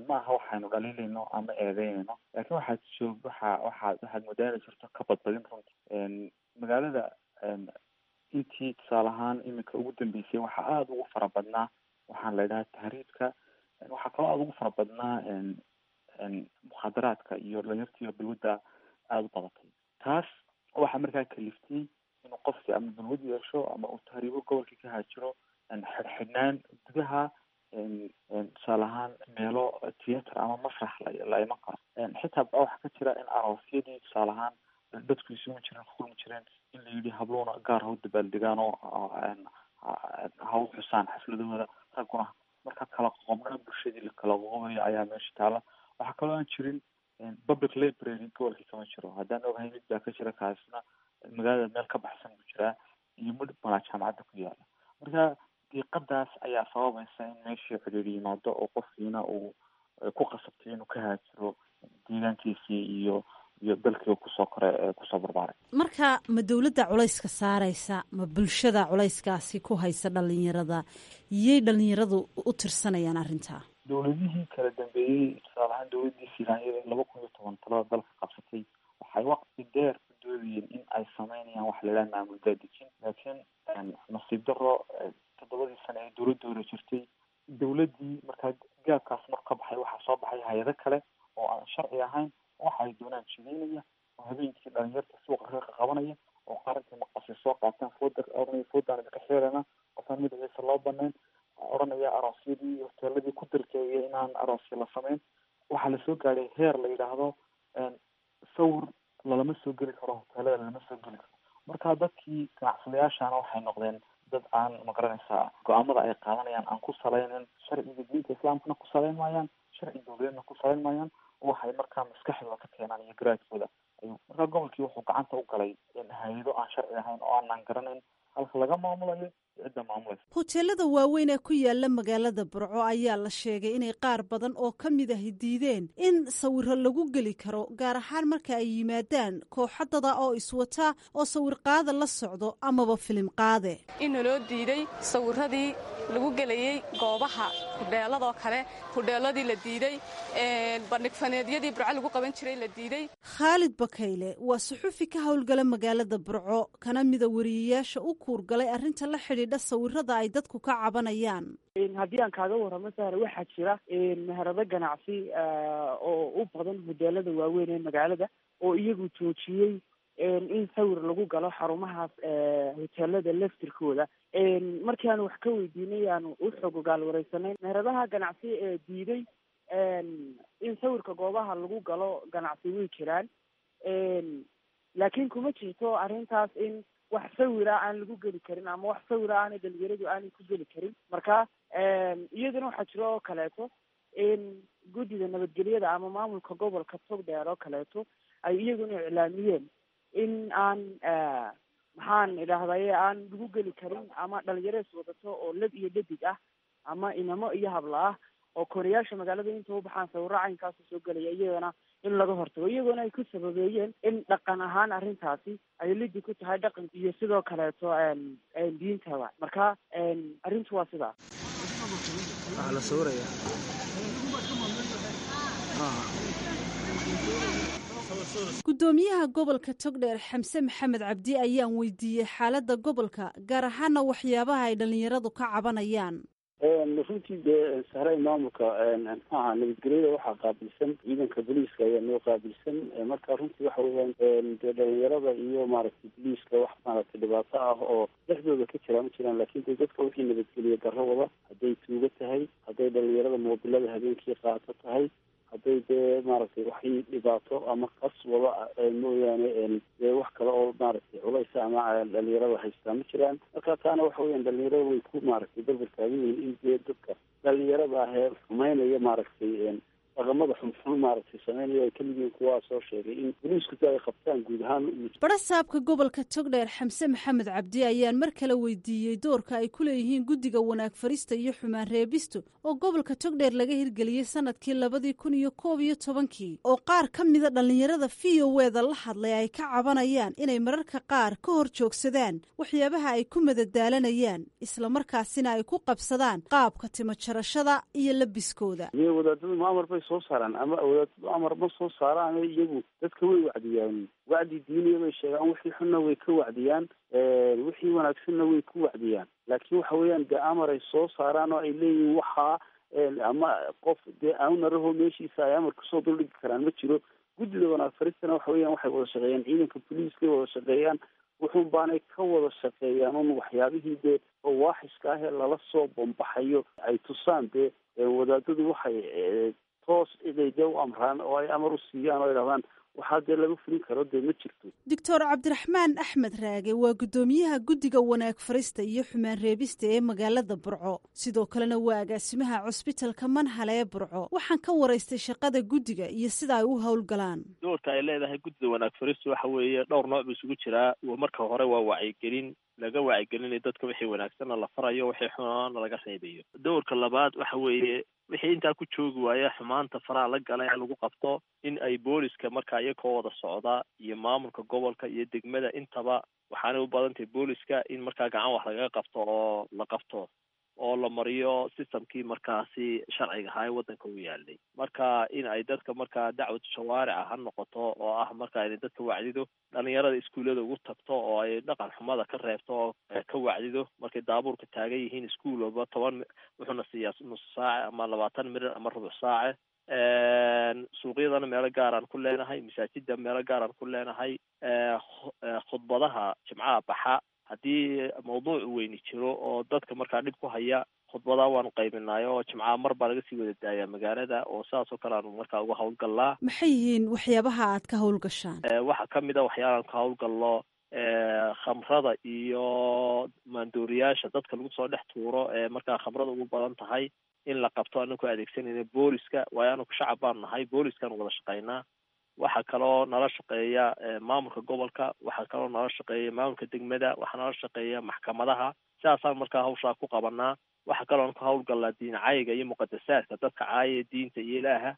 maaha waxaynu dhaliilayno ama eedeynayno, laakiin waxaad joog waxa waxaad waxaad moodaa inay jirto ka badbadin runtii magaalada. Intii tusaale ahaan iminka ugu dambeysay waxaa aada ugu fara badnaa waxaan la idhaha tahriibka, waxaa kaloo aada ugu fara badnaa mukhaadaraadka iyo dhalinyartiiyo balwadda aada u badatay. Taas waxaa markaa kaliftay inuu qofkii ama balwad yeesho ama uu tahriibo, gobolkii ka haajiro. Xidhxidhnaan gudaha, tusaale ahaan meelo theatre ama masrax la iman karo xitaa waxaa ka jira in aroosyadii tusaale ahaan dadku isugu jireen, ku kulmi jireen, in la yidhi habluuna gaar ha u dabaaldegaan oo ha u xusaan xafladahooda, ragguna marka kala qoqobnaa bulshadii la kala qoqobayo ayaa meesha taala. Waxaa kaloo aan jirin public library, gobolkii kama jiro. Haddaan ogahay mid baa ka jira, kaasna magaalada meel ka baxsan buu jiraa iyo mid malaa jaamacadda ku yaala. Marka diiqadaas ayaa sababaysa in meeshii cidhiidhi yimaado oo qofkiina uu ku qasabtay inuu ka haajiro deegaankiisii iyo iyo dalkiiba kusoo koray ee kusoo barbaaray. Marka ma dowladda culayska saaraysa, ma bulshada culayskaasi ku haysa dhalinyarada, iyay dhalinyaradu u tirsanayaan arrintaa? Dowladihii kala dambeeyey, tusaale ahaan dowladdii Silaanyada laba kun iyo toban talada dalka qabsatay, waxay waqti dheer ku doodayeen in ay sameynayaan wax la idhaha maamul daadejin, laakiin nasiib daro toddobadii sane ee dowladda hore jirtay, dowladdii markaa gaabkaas mar ka baxay, waxaa soo baxay hay-ado kale oo aan sharci ahayn, waxa ay doonaan jideynaya oo habeenkii dhalinyarta suuqa ka qabanaya oo qarantii maqasi soo gaadhay heer la yidhaahdo sawir lalama soo geli karo, hoteelada lalama soo geli karo. Marka dadkii ganacsadayaashana waxay noqdeen dad aan magaranaysaa go-aamada ay qaadanayaan aan ku salaynin sharciga diinta islaamkana ku salayn maayaan, sharci dowladeedna ku salayn maayaan. Waxay markaa maskaxdooda ka keenaan iyo garaadkooda ayuu markaa gobolkii wuxuu gacanta u galay hay-ado aan sharci ahayn oo aanan garanayn halka laga maamulayo iyo cidda maamulaysa. Hoteelada waaweyn ee ku yaala magaalada Burco ayaa la sheegay inay qaar badan oo ka mid ahi diideen in sawiro lagu geli karo, gaar ahaan marka ay yimaadaan kooxadada oo iswata oo sawir qaada la socdo amaba filim qaade. In naloo diiday sawiradii lagu gelayey goobaha hudheeladoo kale, hudheeladii la diiday, bandhigfaneedyadii Burco lagu qaban jiray la diiday. Khaalid Bakayle waa suxufi ka howlgala magaalada Burco, kana mida wariyeyaasha u kuurgalay arrinta la xidhiidha sawirada ay dadku ka cabanayaan. Haddii aan kaaga warramo Sahre, waxaa jira meherado ganacsi oo u badan hudeelada waaweyn ee magaalada oo iyagu joojiyey in sawir lagu galo xarumahaas hoteelada laftirkooda. Markii aanu wax ka weydiinay, aanu u xog ogaal wareysanay meheradaha ganacsi ee diiday in sawirka goobaha lagu galo ganacsi way jiraan, laakiin kuma jirto arrintaas in wax sawira aan lagu geli karin ama wax sawira aanay dhalinyaradu aanay ku geli karin. Marka iyadana waxaa jiro oo kaleeto in guddida nabadgelyada ama maamulka gobolka Togdheer oo kaleeto ay iyaguna iclaamiyeen in aan, maxaan idhaahdaye, aan lagu geli karin ama dhalinyaro is wadato oo lab iyo dhadig ah ama inamo iyo habla ah oo kooriyaasha magaalada inta u baxaan sawiro caynkaasu soo gelaya, iyagana in laga hortago, iyagoona ay ku sababeeyeen in dhaqan ahaan arrintaasi ay lidi ku tahay dhaqanka iyo sidoo kaleeto diintaba. Marka arrintu waa sidaa. Waxaa la sawirayaa. Guddoomiyaha gobolka Togdheer Xamse Maxamed Cabdi ayaan weydiiyey xaaladda gobolka, gaar ahaana waxyaabaha ay dhallinyaradu ka cabanayaan. Runtii dee sahray, maamulka muxuaha nabadgelyada waxaa qaabilsan ciidanka booliiska ayaa noo qaabilsan. Marka runtii waxa weeyaan dee dhalinyarada iyo maaragtay booliiska wax maaragtay dhibaato ah oo dhexdooda ka jira ma jiraan, laakiin dee dadka wixii nabadgeliya darro wada, hadday tuugo tahay, hadday dhalinyarada moobilada habeenkii qaato tahay, hadday dee maaragtay waxii dhibaato ama qas wada mooyaane, dee wax kale oo maaragtay culaysa ama dhalinyarada haystaa ma jiraan. Marka taana waxa weeyaan dhalinyarada way ku maaragtay berber taagan yihiin in dee dadka dhalinyarada ah ee xumeynaya maaragtay dhaqamada xunxun maaragtay sameynaya ay kamid yihiin kuwaa soo sheegay in booliisku si ay qabtaan guud ahaan. Barasaabka gobolka Togdheer Xamse Maxamed Cabdi ayaan mar kale weydiiyey doorka ay ku leeyihiin guddiga wanaag farista iyo xumaan reebistu oo gobolka Togdheer laga hirgeliyey sanadkii labadii kun iyo koob iyo tobankii, oo qaar ka mida dhallinyarada V O eda la hadlay ay ka cabanayaan inay mararka qaar ka hor joogsadaan waxyaabaha ay ku madadaalanayaan, islamarkaasina ay ku qabsadaan qaabka timo jarashada iyo labiskooda. Wadaadadu ma amar bay soo saaraan ama wadaadadu amar ma soo saaraan, iyagu dadka way wacdiyaan, wacdi diiniya bay sheegaan, wixii xunna way ka wacdiyaan, wixii wanaagsanna way ku wacdiyaan, laakiin waxa weeyaan dee amar ay soo saaraan oo ay leeyihiin waxaa ama qof dee awnaraho meeshiisa ay amar kusoo duldhigi karaan ma jiro. Guddida wanaag faristana waxa weeyaan waxay wada shaqeeyaan ciidanka booliiskay wada shaqeeyaan, wuxuun baanay ka wada shaqeeyaan un waxyaabihii dee fawaaxishka ah ee lala soo bombaxayo ay tusaan. Dee wadaadadu waxay toos inay dee u amraan oo ay amar u siiyaan oo ay dhahdaan waxaa dee laga fulin karo dee ma jirto. Doctor Cabdiraxmaan Axmed Raage waa guddoomiyaha guddiga wanaag farista iyo xumaan reebista ee magaalada Burco, sidoo kalena waa agaasimaha cusbitalka Manhale ee Burco. Waxaan ka waraystay shaqada guddiga iyo sida ay u howlgalaan. Doorka ay leedahay guddida wanaag faristu waxa weeye dhowr nooc buu isugu jiraa. Marka hore waa wacyigelin laga wacyigelinayo dadka, wixii wanaagsanna la farayo, wixii xumaana laga reebayo. Doorka labaad waxa weeye wixii intaa ku joogi waaya xumaanta faraha la gala ee lagu qabto in ay booliska markaa iyakoo wada socda iyo maamulka gobolka iyo degmada intaba, waxaanay u badan tahay booliska in markaa gacan wax lagaga qabto oo la qabto oo la mariyo systemkii markaasi sharciga ahaa ee waddanka u yaalay. Marka in ay dadka markaa dacwad shawaarica ha noqoto oo ah markaa inay dadka wacdido, dhalinyarada iskuullada ugu tagto oo ay dhaqan xumada ka reebto oo ka wacdido. Markay daabuurka taagan yihiin iskuul walba toban wuxuuna siiyaa nus saace ama labaatan mirir ama rubuc saace. Suuqyadana meelo gaaraan ku leenahay, masaajida meelo gaaraan ku leenahay, khudbadaha jimcaha baxa. Haddii mawduuc weyni jiro oo dadka markaa dhib ku haya, khudbadaa waanu qaybinaay oo jimcaha mar baa laga sii wada daayaa magaalada, oo sidaas oo kale aanu markaa uga hawlgallaa. Maxay yihiin waxyaabaha aad ka hawlgashaan? Waxaa kamid a waxyaalahan ka hawlgallo khamrada iyo maandooriyaasha dadka lagu soo dhex tuuro ee markaa khamrada ugu badan tahay in la qabto, anaku adeegsanayna booliska, waayo anaku shacab baanu nahay, booliskaanu wada shaqaynaa. Waxaa kaloo nala shaqeeya maamulka gobolka, waxaa kaloo nala shaqeeya maamulka degmada, waxaa nala shaqeeya maxkamadaha. Sidaasaan markaa hawshaa ku qabanaa. Waxaa kaloon ka hawlgallaa diin cayga iyo muqadasaadka, dadka caaya diinta iyo ilaaha.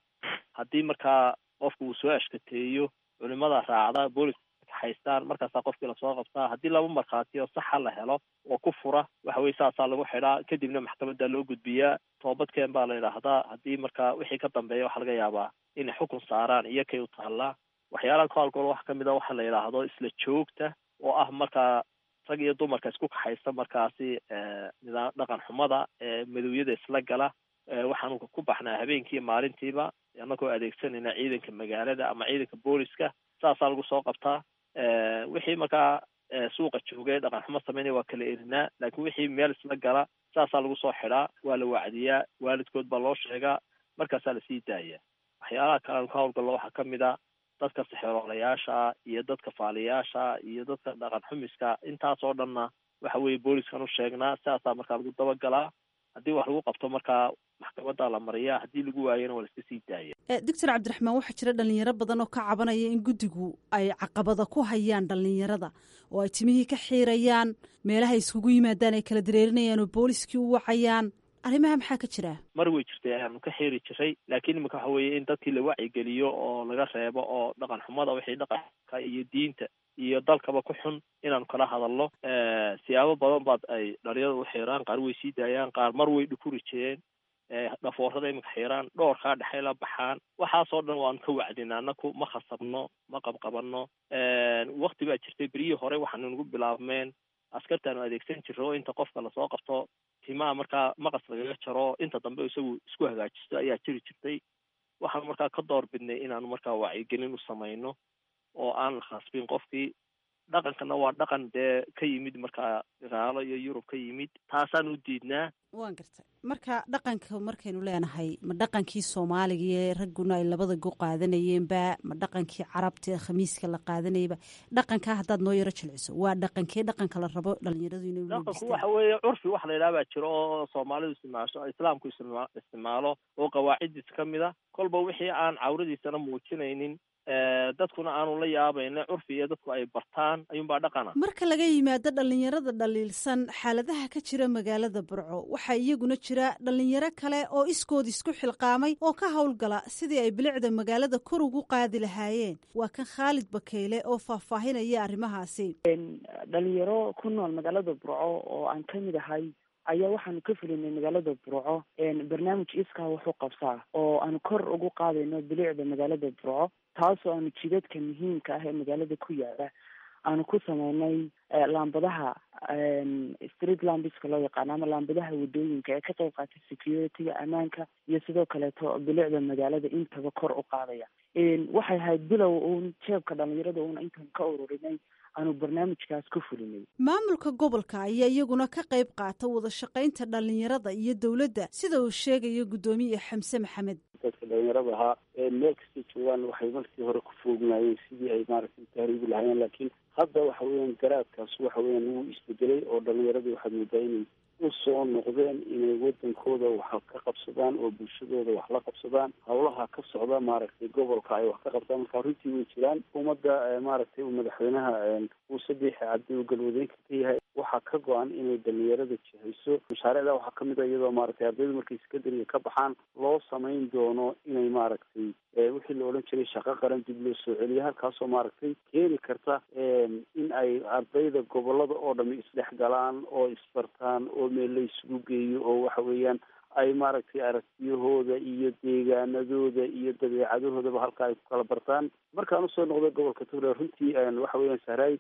Haddii markaa qofku uu soo ashkateeyo, culimada raacda, booliska haystaan, markaasaa qofkii lasoo qabtaa. Haddii laba markhaati oo saxa la helo oo ku fura, waxa weye saasaa lagu xidhaa, kadibna maxkamadda loo gudbiyaa, toobadkeen baa la yidhaahdaa. Haddii markaa wixii ka dambeeya waxaa laga yaabaa inay xukun saaraan iyo kay u taallaa. Waxyaalaha ka hawlgalo waxaa kamid a waxa la yidhaahdo isla joogta, oo ah markaa rag iyo dumarka isku kaxaysta markaasi nidaam dhaqan xumada madowyada isla gala. Waxaanu ku baxnaa habeenkii maalintiiba annagoo adeegsanayna ciidanka magaalada ama ciidanka booliska, saasaa lagu soo qabtaa. Wixii markaa suuqa joogay dhaqan xumo sameynaya waa kala erinaa, laakiin wixii meel isla gala saasaa lagu soo xidhaa, waa la wacdiyaa, waalidkood baa loo sheegaa, markaasaa lasii daaya. Waxyaalaha kale aanu ka hawlgallo waxaa kamid a dadka sixroolayaasha iyo dadka faaliyaasha iyo dadka dhaqan xumiska, intaas oo dhanna waxa weeye booliskan u sheegnaa, sidaasaa markaa lagu dabagalaa. Haddii wax lagu qabto markaa maxkamadda la mariyaa, haddii lagu waayana waa la iska sii daaya. Doctor Cabdiraxmaan, waxaa jira dhalinyaro badan oo ka cabanaya in guddigu ay caqabada ku hayaan dhalinyarada, oo ay timihii ka xiirayaan, meelaha iskugu yimaadaan ay kala dareerinayaan oo booliskii u wacayaan. Arrimaha maxaa ka jira? Mar way jirtay ayaanu ka xiiri jiray, laakiin imika waxa weeye in dadkii la wacyigeliyo oo laga reebo oo dhaqan xumada, wixii dhaqanka iyo diinta iyo dalkaba ku xun inaanu kala hadalno. Siyaabo badan baad ay dhalinyarada u xiiraan, qaar way sii daayaan, qaar mar way dhukuri jireen, dhafoorada iminka xiiraan, dhoorkaa dhexay la baxaan. Waxaasoo dhan waanu ka wacdinaa, anaku ma khasabno, ma qabqabano. Wakti baa jirtay beryihii hore waxaanu nagu bilaabmeen askartaanu adeegsan jirro oo inta qofka lasoo qabto timaha markaa maqas lagaga jaro, inta dambe isagu isku hagaajisto ayaa jiri jirtay. Waxaanu markaa ka door bidnay inaanu markaa wacyigelin u samayno oo aan la khasbin qofkii. Dhaqankana waa dhaqan dee ka yimid markaa gaalo iyo Yurub ka yimid, taasaan u diidnaa. Waan gartay. Marka dhaqanka markaynu leenahay, ma dhaqankii Soomaaliga ee ragguna ay labada go qaadanayeenba, ma dhaqankii Carabta ee khamiiska la qaadanayaba? Dhaqankaa haddaad noo yaro jilciso, waa dhaqankee dhaqanka la rabo dhalinyaradu inay Dhaqanku waxa weeye curfi wax la yidhaha baa jiro oo soomaalidu isticmaasho, islaamku isticmaalo oo qawaaciddiisa ka mid a. Kolba wixii aan cawradiisana muujinaynin, dadkuna aanu la yaabayna, curfi iyo dadku ay bartaan ayuunbaa dhaqana. Marka laga yimaado dhalinyarada dhaliilsan xaaladaha ka jira magaalada Burco, waxaa iyaguna jira dhalinyaro kale oo iskood isku xilqaamay oo ka howlgala sidii ay bilicda magaalada kor ugu qaadi lahaayeen. Waa kan Khaalid Bakeyle oo faahfaahinaya arrimahaasi. Dhalinyaro ku nool magaalada Burco oo aan ka mid ahay ayaa waxaanu ka fulinay magaalada Burco barnaamij iskaa wuxuu qabsaa oo aanu kor ugu qaadayno bilicda magaalada Burco, taasoo aanu jidadka muhiimka ah ee magaalada ku yaala aanu ku sameynay laambadaha street lambiska loo yaqaano ama laambadaha wadooyinka ee ka qayb qaata security-ga, ammaanka iyo sidoo kaleeto bilicda magaalada intaba kor u qaadaya. Waxay ahayd bilow uun jeebka dhalinyarada uun intaan ka ururinay aanu barnaamijkaas ku fulinay. Maamulka gobolka ayaa iyaguna ka qayb qaata wada shaqaynta dhalinyarada iyo dowladda, sida uu sheegayo guddoomiye Xamse Maxamed. Dadka dhalinyarada ahaa ee meel kastay joogaan waxay markii hore ku foognaayeen sidii ay maaragtay tahriibi lahaayeen, laakiin hadda waxa weeyaan garaadkaas waxa weeyaan wuu isbedelay oo dhalinyaradii waxaad moodaa inay u soo noqdeen inay wadankooda wax ka qabsadaan oo bulshadooda wax la qabsadaan, howlaha ka socda maaragtay gobolka ay wax ka qabtaan. Marka runtii way jiraan ummadda maaragtay uu madaxweynaha Muuse Biixi Cabdi uu galwadeenka ka yahay waxaa ka go-an inay dhalinyarada jihayso. Mashaariicda waxaa kamid a iyadoo maaragtay ardaydu markay secondary ka baxaan loo samayn doono inay maaragtay wixii la odhan jiray shaqo qaran dib loo soo celiyo, halkaasoo maaragtay keeni karta in ay ardayda gobolada oo dhami isdhex galaan oo isbartaan oo meel la isugu geeyo oo waxa weeyaan Ay maaragtay aragtiyahooda iyo deegaanadooda iyo dabeecadahoodaba halka ay ku kala bartaan. Markaan usoo noqday gobolka Togdheer, runtii waxa weeyaan, Sahraay,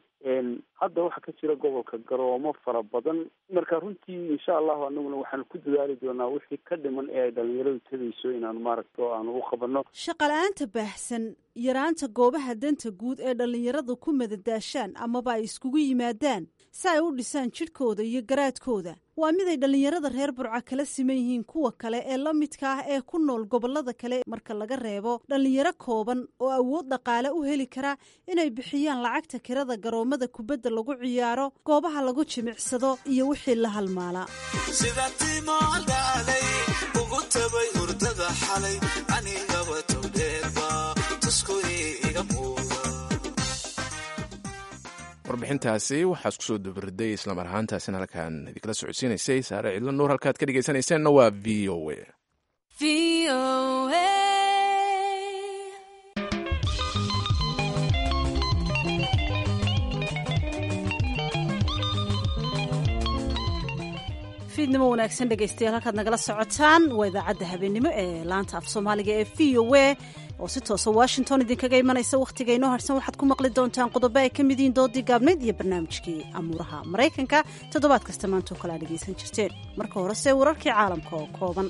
hadda waxaa ka jira gobolka garoomo fara badan. Marka runtii, insha Allahu, anaguna waxaanu ku dadaali doonaa wixii ka dhiman ee ay dhalinyaradu tegayso inaanu maaragta oo aanu u qabano. Shaqala-aanta baahsan, yaraanta goobaha danta guud ee dhallinyaradu ku madadaashaan amaba ay iskugu yimaadaan si ay u dhisaan jidhkooda iyo garaadkooda waa mid ay dhallinyarada reer Burca kala siman yihiin kuwa kale ee la midka ah ee ku nool gobollada kale, marka laga reebo dhallinyaro kooban oo awood dhaqaale u heli kara inay bixiyaan lacagta kirada garoomada kubadda lagu ciyaaro, goobaha lagu jimicsado iyo wixii la halmaala. Sida timoodhaalay ugu tabay hurdada xalay, anigaba towdheerba tusku iga muuqa. Warbixintaasi waxaa isku soo dabariday islamar ahaantaasina halkaan idinkala socodsiinaysay Saare Cidlo Nuur. Halkaad ka dhegeysanayseena waa V O A. Fiidnimo wanaagsan, dhegaystayaal. Halkaad nagala socotaan waa idaacadda habeenimo ee laanta af Soomaaliga ee V O A oo si toosa Washington idinkaga imanaysa. Wakhtiga inoo harsan waxaad ku maqli doontaan qodobo ay ka mid yihiin doodii gaabnayd iyo barnaamijkii amuuraha Maraykanka, toddobaad kasta maantoo kale aad dhegaysan jirteen. Marka horese wararkii caalamka oo kooban.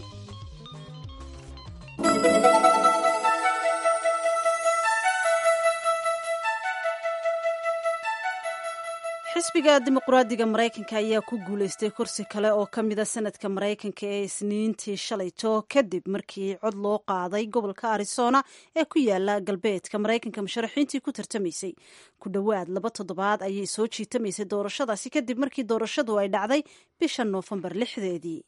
Xisbiga Dimuqraadiga Maraykanka ayaa ku guuleystay kursi kale oo ka mida sanadka Maraykanka ee Isniintii shalayto, kadib markii cod loo qaaday gobolka Arizona ee ku yaala galbeedka Maraykanka musharaxiintii ku tartamaysay. Ku dhowaad laba toddobaad ayay soo jiitamaysay doorashadaasi, kadib markii doorashadu ay dhacday bisha Noofembar lixdeedii.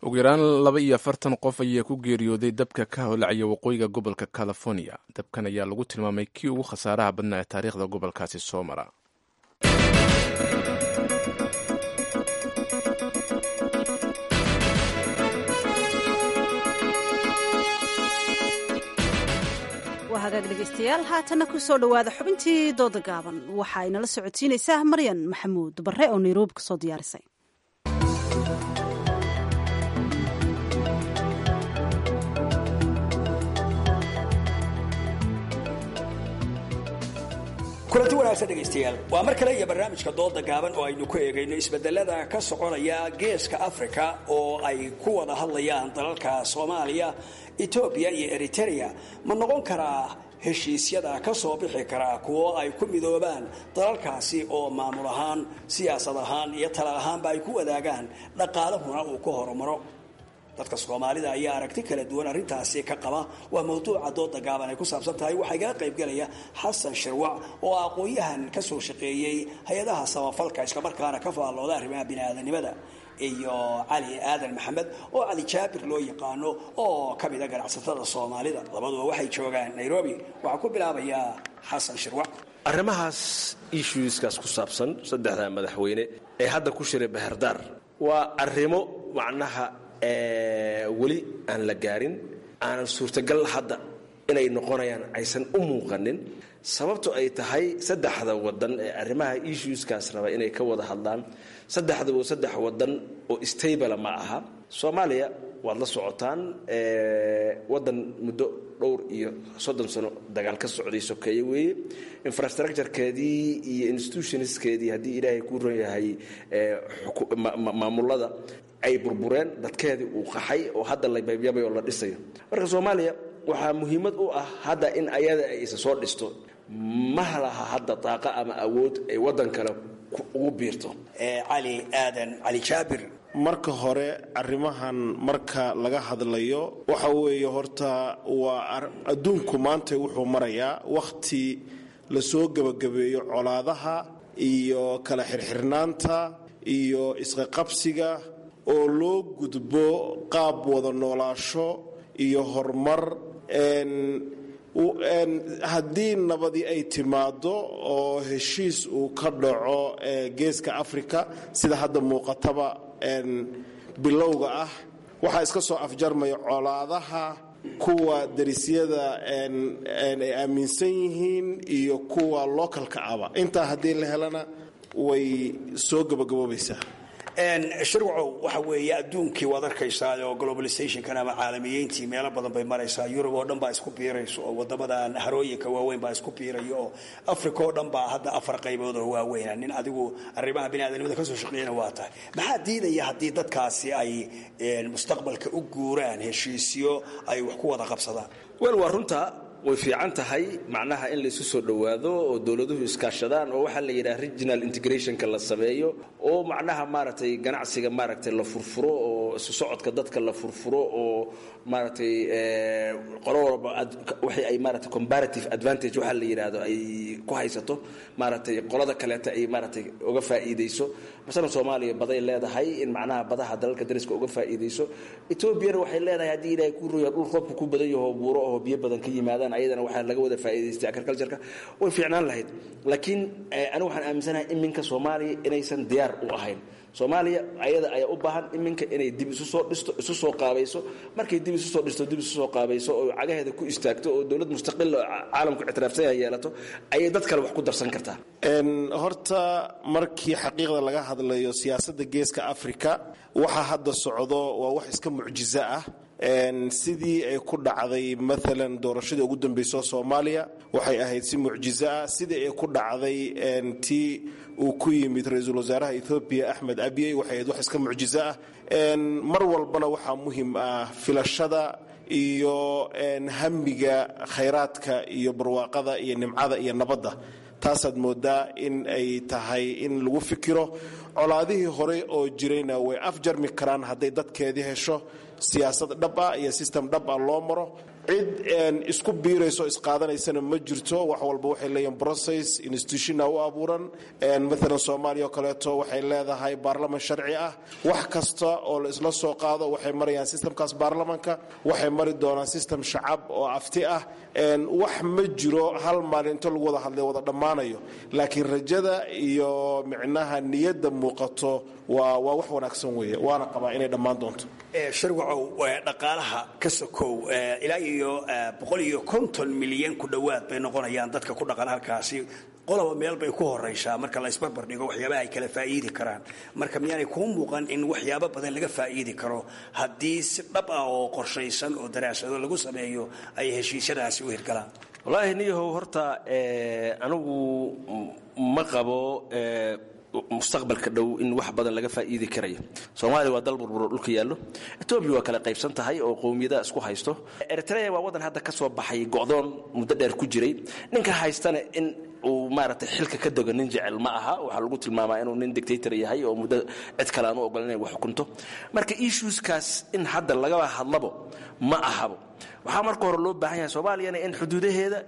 Ugu yaraan laba iyo afartan qof ayaa ku geeriyooday dabka ka holacaya waqooyiga gobolka California. Dabkan ayaa lagu tilmaamay kii ugu khasaaraha badnaa ee taariikhda gobolkaasi soo mara. Waa hagaag, dhegaystayaal. Haatanna ku soo dhowaada xubintii dooda gaaban. Waxa ay nala socodsiinaysaa Maryan Maxamuud Barre oo Nairobi kasoo diyaarisay. Kulanti wanaagsan, dhegaystayaal. Waa mar kale iyo barnaamijka dooda gaaban oo aynu ku eegayno isbedelada ka soconaya Geeska Africa oo ay ku wada hadlayaan dalalka Soomaaliya, Etoobiya iyo Eritrea. Ma noqon karaa heshiisyada ka soo bixi karaa kuwo ay ku midoobaan dalalkaasi oo maamul ahaan, siyaasad ahaan iyo tala ahaanba ay ku wadaagaan, dhaqaalahuna uu ku horumaro? Dadka Soomaalida ayaa aragti kala duwan arrintaasi ka qaba. Waa mawduuca dooda gaaban ay ku saabsan tahay. Waxaa igala qaybgalaya Xasan Shirwac oo aqoon-yahan ka soo shaqeeyey hay-adaha samafalka, islamarkaana ka faallooda arrimaha bini'aadanimada, iyo Cali Aadan Maxamed oo Cali Jaabir loo yaqaano oo ka mida ganacsatada Soomaalida. Labaduba waxay joogaan Nairobi. Waxaa ku bilaabayaa Xasan Shirwac. Arrimahaas issueskaas ku saabsan saddexda madaxweyne ee hadda ku shiray Baherdaar waa arrimo macnaha weli aan la gaarin, aanan suurtagal hadda inay noqonayaan aysan u muuqanin, sababto ay tahay saddexda wadan ee arrimaha issueskaas raba inay ka wada hadlaan saddexdaba saddex wadan oo stable ma aha. Soomaaliya waad la socotaan, wadan muddo dhowr iyo soddon sano dagaal ka socday sokeeye weeye. Infrastructurekeedii iyo institutionskeedii, haddii Ilaahay kuu ron yahay, maamulada ay burbureen, dadkeedii uu qaxay oo hadda la yabyabay oo la dhisayo. Marka Soomaaliya waxaa muhiimad u ah hadda in ayada ay isa soo dhisto. Ma laha hadda daaqa ama awood ay waddan kale ugu biirto. Cali Aadan Cali Jaabir. Marka hore, arrimahan marka laga hadlayo waxa weeye, horta waa adduunku maanta wuxuu marayaa wakhti lasoo gebagabeeyo colaadaha iyo kala xirxirnaanta iyo isqaqabsiga oo loo gudbo qaab wada noolaasho iyo horumar. Haddii nabadi ay timaado oo heshiis uu ka dhaco Geeska Africa, sida hadda muuqataba bilowga ah, waxaa iska soo afjarmaya colaadaha kuwa darisyada ay aaminsan yihiin iyo kuwa localka aba. Intaa haddii la helana way soo gabagaboobaysaa. Shirwacow, waxa weeye adduunkii waad arkaysaa oo globalizationkan ama caalamiyeyntii meelo badan bay maraysaa. Yurub oo dhan baa isku biirayso oo wadamadan harooyinka waaweyn baa isku biirayo, oo Africa oo dhan baa hadda afar qaybood oo waaweyna. Nin adigu arrimaha biniaadanimada kasoo shaqeeyana waa tahay. Maxaa diidaya haddii dadkaasi ay mustaqbalka u guuraan heshiisyo ay wax ku wada qabsadaan? Wel, waa runta, way fiican tahay macnaha in laysu soo dhowaado oo dowladuhu iskaashadaan oo waxaa la yidhaha regional integrationka la sameeyo, oo macnaha maaragtay ganacsiga maaragtay la furfuro, oo isu socodka dadka la furfuro, oo maaragtay qolo walba wixii ay maaragtay comparative advantage waxaa la yidhaahdo ay ku haysato, maaragtay qolada kaleeta ay maaragtay uga faa'iidayso. Masalan, Soomaaliya baday leedahay in macnaha badaha dalalka dariska uga faa'iidayso. Etoobiyana waxay leedahay, haddii Ilaahay kuu roya, dhul roobka ku badan yaho, buuro oo biyo badan ka yimaadaan. Ayadana waxaa laga wada faa'iidaystay agriculture-ka. Way fiicnaan lahayd, laakiin anigu waxaan aaminsanahay iminka Soomaaliya inaysan diyaar u ahayn. Soomaaliya ayada ayaa u baahan iminka inay dib isu soo dhisto, isu soo qaabayso. Markay dib isu soo dhisto, dib isu soo qaabayso oo cagaheeda ku istaagto oo dowlad mustaqil oo caalamku ictiraafsan yahay yeelato, ayay dad kale wax ku darsan kartaa. Horta markii xaqiiqda laga hadlayo, siyaasadda Geeska Africa waxa hadda socdo waa wax iska mucjizo ah. Sidii ay ku dhacday maalan doorashadii ugu dambeysay Soomaaliya waxay ahayd si mucjizo ah. Sidii ay ku dhacday tii uu ku yimid ra-iisul wasaaraha Ethoobiya Axmed Abiy waxay ahayd wax iska mucjizo ah. Mar walbana waxaa muhiim ah filashada iyo hamiga khayraadka iyo barwaaqada iyo nimcada iyo nabadda. Taasaad moodaa in ay tahay in lagu fikiro. Colaadihii hore oo jirayna way afjarmi karaan hadday dadkeedii hesho siyaasad dhab ah iyo system dhab ah loo maro. Cid isku biirayso isqaadanaysana ma jirto. Wax walba waxay leeyihin process, institutiona u abuuran. Maalan Soomaaliya oo kaleeto waxay leedahay baarlaman sharci ah. Wax kasta oo la isla soo qaado waxay marayaan systemkaas baarlamanka, waxay mari doonaan system shacab oo afti ah. Wax ma jiro hal maalin inta lagu wada hadlay wada dhammaanayo, laakiin rajada iyo micnaha niyadda muuqato waa waa wax wanaagsan weeye, waana qabaa inay dhammaan doonto. Shirwacow, dhaqaalaha ka sokow, ilaa iyo boqol iyo konton milyan ku dhowaad bay noqonayaan dadka ku dhaqan halkaasi. Qoloba meel bay ku horaysaa marka la isbarbar dhigo waxyaabaha ay kala faa'iidi karaan. Marka miyaanay kuu muuqan in waxyaabo badan laga faa'iidi karo haddii si dhab ah oo qorshaysan oo daraasado lagu sameeyo ay heshiisyadaasi u hirgalaan? Wallaahi niyahow, horta anigu ma qabo mustaqbalka dhow in wax badan laga faa'iidi karayo. Soomaaliya waa dal burburo dhulka yaallo. Etoobiya waa kala qaybsan tahay oo qowmiyadaha isku haysto. Eritrea waa waddan hadda ka soo baxay go'doon muddo dheer ku jiray. Ninka haystana in uu maaragtay xilka ka dogo nin jecel ma aha. Waxaa lagu tilmaamaa inuu nin dictator yahay oo muddo cid kale aan u ogolan inay wax xukunto. Marka issueskaas in hadda lagaba hadlabo ma ahabo. Waxaa marka hore loo baahan yahay Soomaaliyana in xuduudaheeda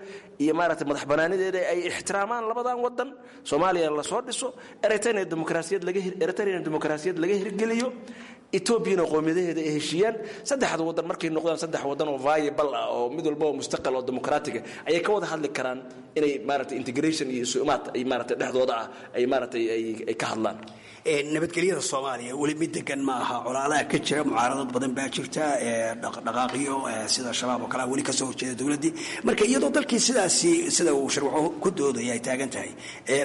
iyo maaragtay madax banaanideeda ay ixtiraamaan labadan wadan, Soomaaliya lasoo dhiso, Eritrea dimuqraasiyad laga Eritrea dimuqraasiyad laga hirgeliyo, Etoobiyana qowmiyadaheeda ay heshiiyaan. Saddexda wadan markay noqdaan saddex wadan oo viable ah oo mid walba oo mustaqil oo dimuqraatig ah, ayay ka wada hadli karaan inay maaragtay integration iyo isu imaad ay maaragtay dhexdooda ah ay maaragtay ay ay ka hadlaan. Nabadgelyada Soomaaliya weli mid degan ma aha. Colaadaha ka jira, mucaaradad badan baa jirta, dhaqdhaqaaqiyo sida Shabaab oo kale weli kasoo horjeeda dowladdii. Marka iyadoo dalkii sidaasi sida uu Sharwaco ku doodaya ay taagan tahay,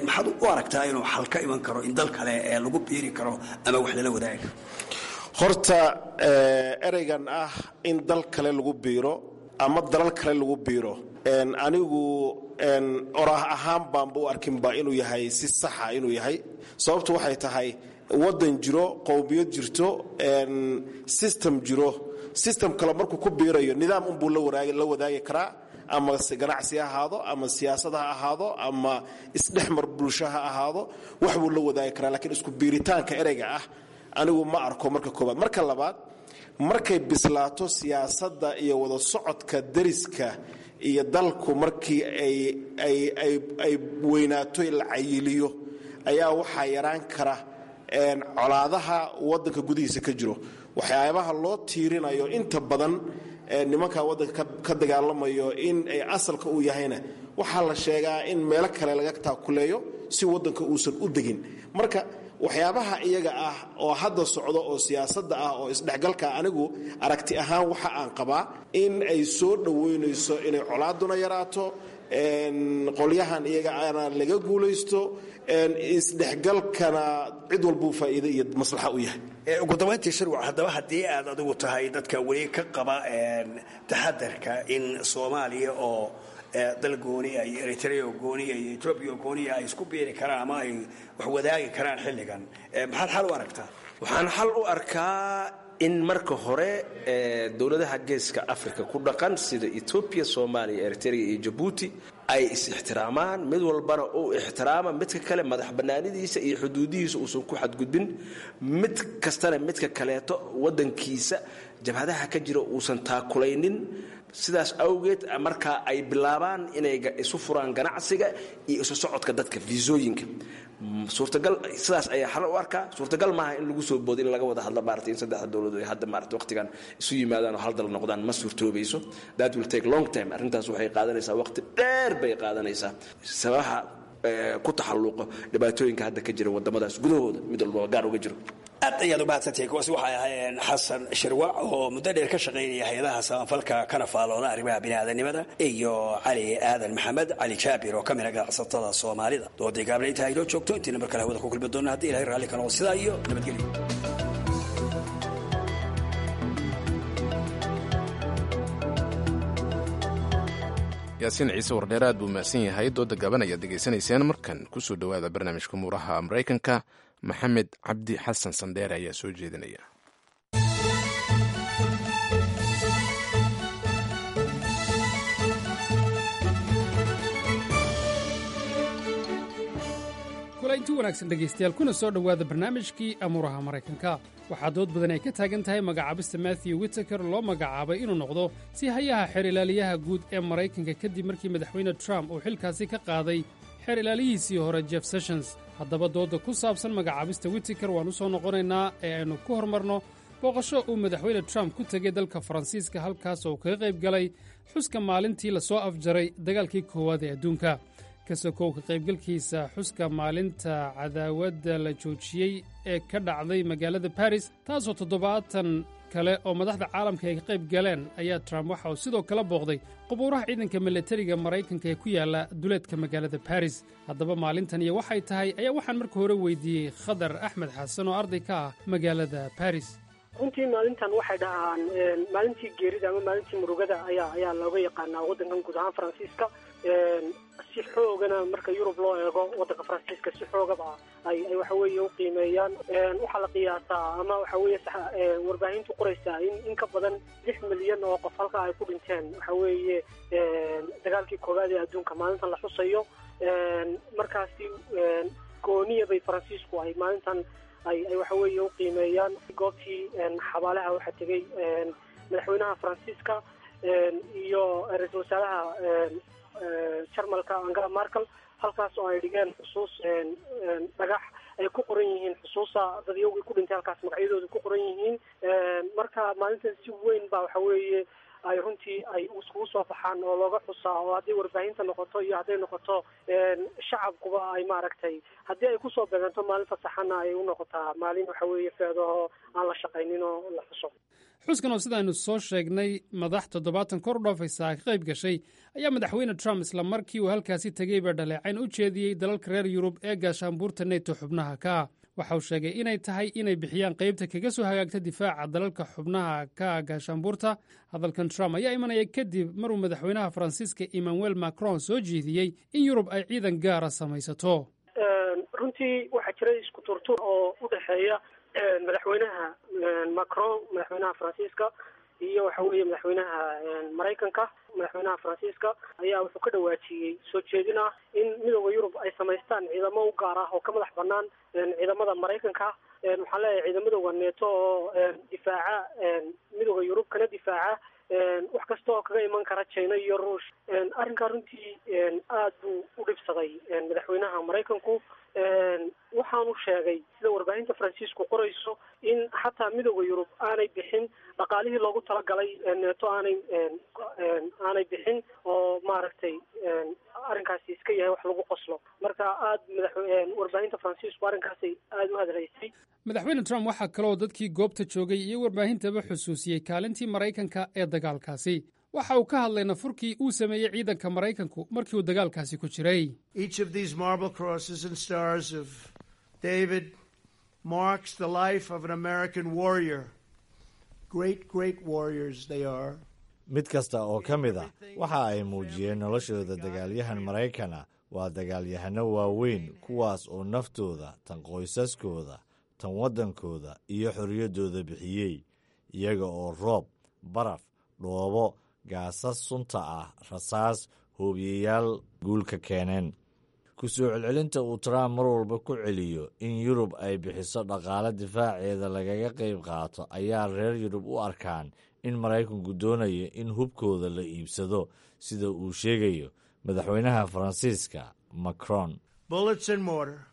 maxaad u aragtaa inuu xal ka iman karo in dal kale lagu biiri karo ama wax lala wadaagi karo? Horta ereygan ah in dal kale lagu biiro ama dalal kale lagu biiro, anigu oraah ahaan baanba u arkinba inuu yahay si saxa inuu yahay. Sababtu waxay tahay waddan jiro, qowmiyad jirto, system jiro, system kale markuu ku biirayo nidaam unbuu la wadaagi karaa, ama ganacsi ha ahaado, ama siyaasad ha ahaado, ama isdhexmar bulsho ha ahaado, wax buu la wadaagi karaa. Lakiin isku biiritaanka ereyga ah anigu ma arko marka koobaad. Marka labaad, markay bislaato siyaasadda iyo wada socodka dariska iyo dalku, markii ay ay ay ay weynaato, la cayiliyo, ayaa waxaa yaraan kara colaadaha waddanka gudihiisa ka jiro. Waxyaabaha loo tiirinayo inta badan nimanka waddanka ka dagaalamayo in ay asalka uu yahayna waxaa la sheegaa in meelo kale laga taakuleeyo si waddanka uusan u degin. Marka waxyaabaha iyaga ah oo hadda socda oo siyaasadda ah oo isdhexgalka, anigu aragti ahaan waxa aan qabaa in ay soo dhoweynayso inay colaaduna yaraato, Qolyahan iyaga ana laga guulaysto, isdhexgalkana cid walbuu faa'iido iyo maslaxa u yahay. Ugu dambayntii Shirwac, haddaba haddii aad adigu tahay dadka weli ka qaba taxadarka in Soomaaliya oo dal gooniya iyo Eritrea oo gooniya iyo Etoobiya oo gooniya ay isku biiri karaan ama ay wax wadaagi karaan xilligan, maxaad xal u aragtaa? Waxaan xal u arkaa in marka hore dowladaha geeska Africa ku dhaqan sida Etoobiya, Soomaaliya, Eritrea iyo Jabuuti ay is-ixtiraamaan, mid walbana uu ixtiraama midka kale madax bannaanidiisa iyo xuduudihiisa uusan ku xadgudbin, mid kastana midka kaleeto waddankiisa jabhadaha ka jira uusan taakulaynin. Sidaas awgeed markaa ay bilaabaan inay isu furaan ganacsiga iyo isu socodka dadka, fiisooyinka suurtagal. Sidaas ayaa xal u arkaa. Suurtagal maaha in lagu soo boodo in laga wada hadlo maarata in saddexda dowladood ay hadda maarata waqtigan isu yimaadaan oo hal dal noqdaan ma suurtoobayso. That will take long time. Arrintaas waxay qaadanaysaa waqti dheer bay qaadanaysaa, sababaha ku taxalluqo dhibaatooyinka hadda ka jira waddamadaas gudahooda mid walba gaar uga jiro. Aad ayaad umahadsantahay. Kuwaasi waxay ahaayeen Xasan Shirwac oo muddo dheer ka shaqaynaya hay-adaha samafalka kana faalooda arrimaha biniaadanimada, iyo Cali Aadan Maxamed Cali Jaabir oo ka mida ganacsatada Soomaalida. Dooday gaable intaa inoo joogto, intiina mar kale hawada ku kulmi doona haddii Ilahay raalli ka noqdo, sidaa iyo nabadgelyo. Yaasiin Ciise Wardheer aad buu mahadsan yahay. Dooda gaban ayaad degeysanayseen. Markan kusoo dhowaada barnaamijka muuraha Maraykanka. Maxamed Cabdi Xasan Sandheere ayaa soo jeedinaya. Kulaynti wanaagsan dhegaystayaal, kuna soo dhowaada barnaamijkii amuuraha Maraykanka. Waxaa dood badan ay ka taagan tahay magacaabista Matthew Whitaker loo magacaabay inuu noqdo si hayaha xeer ilaaliyaha guud ee Maraykanka, kadib markii Madaxweyne Trump uu xilkaasi ka qaaday xeer ilaaliyihiisii hore Jeff Sessions. Haddaba doodda ku saabsan magacaabista Whitaker waan u soo noqonaynaa ee aynu ku hormarno booqasho uu Madaxweyne Trump ku tegey dalka Faransiiska, halkaas oo kaga qayb galay xuska maalintii lasoo afjaray dagaalkii koowaad ee adduunka. Ka sokow ka qaybgalkiisa xuska maalinta cadaawadda la joojiyey ee ka dhacday magaalada Baris, taasoo toddobaatan kale oo madaxda caalamka ay ka qayb galeen, ayaa Trump waxa uu sidoo kale booqday qubuuraha ciidanka milatariga Maraykanka ee ku yaalla duleedka magaalada Baris. Haddaba maalintan iyo waxay tahay ayaa waxaan marka hore weydiiyey Khadar Axmed Xasan oo arday ka ah magaalada Baris. Runtii maalintan waxay dhahaan maalintii geerida ama maalintii murugada ayaa ayaa looga yaqaanaa waddankan guud ahaan Faransiiska. Si xoogana marka Yurub loo eego, waddanka Faransiiska si xoogaba ay ay waxa weeye u qiimeeyaan. Waxaa la qiyaasaa ama waxa weeye warbaahintu qoraysaa in in ka badan lix milyan oo qof halka ay ku dhinteen waxa weeye dagaalkii koowaad ee adduunka maalintan la xusayo. Markaasi gooniya bay Faransiisku ay maalintan ay ay waxa weeye u qiimeeyaan. Goobtii xabaalaha waxaa tegey madaxweynaha Faransiiska iyo ra-iisul wasaaraha Jarmalka Angela Markel, halkaas oo ay dhigeen xusuus dhagax ay ku qoran yihiin xusuusa dadyowgii ku dhintay halkaas magacyadooda ku qoran yihiin. Marka maalintan si weyn baa waxa weeye ay runtii ay iskugu soo baxaan oo looga xusaa, oo hadday warbaahinta noqoto iyo hadday noqoto shacabkuba ay maaragtay haddii ay kusoo beeganto maalin fasaxana ay u noqotaa maalin waxa weeye feedaho aan la shaqaynin oo la xuso. Xuskan oo sidaaynu soo sheegnay madax toddobaatan kor u dhaafaysa ka qayb gashay ayaa Madaxweyne Trump isla markii uu halkaasi tegeyba dhaleecayn u jeediyey dalalka reer Yurub ee gaashaanbuurta Neto xubnaha ka ah. Waxa uu sheegay inay tahay inay bixiyaan qaybta kaga soo hagaagta difaaca dalalka xubnaha ka gaashaanbuurta. Hadalkan Trump ayaa imanaya kadib maruu madaxweynaha Faransiiska Emmanuel Macron soo jeediyey in Yurub ay ciidan gaara samaysato. Runtii waxaa jiray isku turtur oo u dhexeeya madaxweynaha Macron, madaxweynaha Faransiiska, iyo waxa weeye madaxweynaha Maraykanka. Madaxweynaha Faransiiska ayaa wuxuu ka dhawaajiyey soo jeedin ah in Midooda Yurub ay samaystaan ciidamo u gaar ah oo ka madax banaan ciidamada Maraykanka. Waxaan leeyahay ciidamadooda Neeto oo difaaca Midooda Yurub kana difaaca wax kasta oo kaga iman kara China iyo Ruush. Arrinkaa runtii aad buu u dhibsaday madaxweynaha Maraykanku. Waxaanu sheegay sida warbaahinta Faransiisku qorayso in xataa Midooda Yurub aanay bixin dhaqaalihii loogu talagalay Neeto, aanay aanay bixin oo maaragtay arrinkaasi iska yahay wax lagu qoslo. Marka aad madax warbaahinta Faransiisku arrinkaasi aada u hadlaysay. Madaxweyne Trump waxaa kaloo dadkii goobta joogay iyo warbaahintaba xusuusiyey kaalintii Maraykanka ee dagaalkaasi. Waxa uu ka hadlay nafurkii uu sameeyey ciidanka Maraykanku markii uu dagaalkaasi ku jiray. Each of these marble crosses and stars of David marks the life of an American warrior. Great, great warriors they are. Mid kasta oo ka mid ah waxa ay muujiyeen noloshooda dagaalyahan Maraykana. Waa dagaalyahanno waaweyn, kuwaas oo naftooda, tan qoysaskooda, tan waddankooda iyo xorriyaddooda bixiyey, iyaga oo roob, baraf, dhoobo, gaasas sunta ah, rasaas, hoobiyeyaal guulka keeneen. Ku soo celcelinta uu Trump mar walba ku celiyo in Yurub ay bixiso dhaqaale difaaceeda lagaga qayb qaato ayaa reer Yurub u arkaan in Maraykanku doonayo in hubkooda la iibsado, sida uu sheegayo madaxweynaha Faransiiska Macron. Bullets and mortar.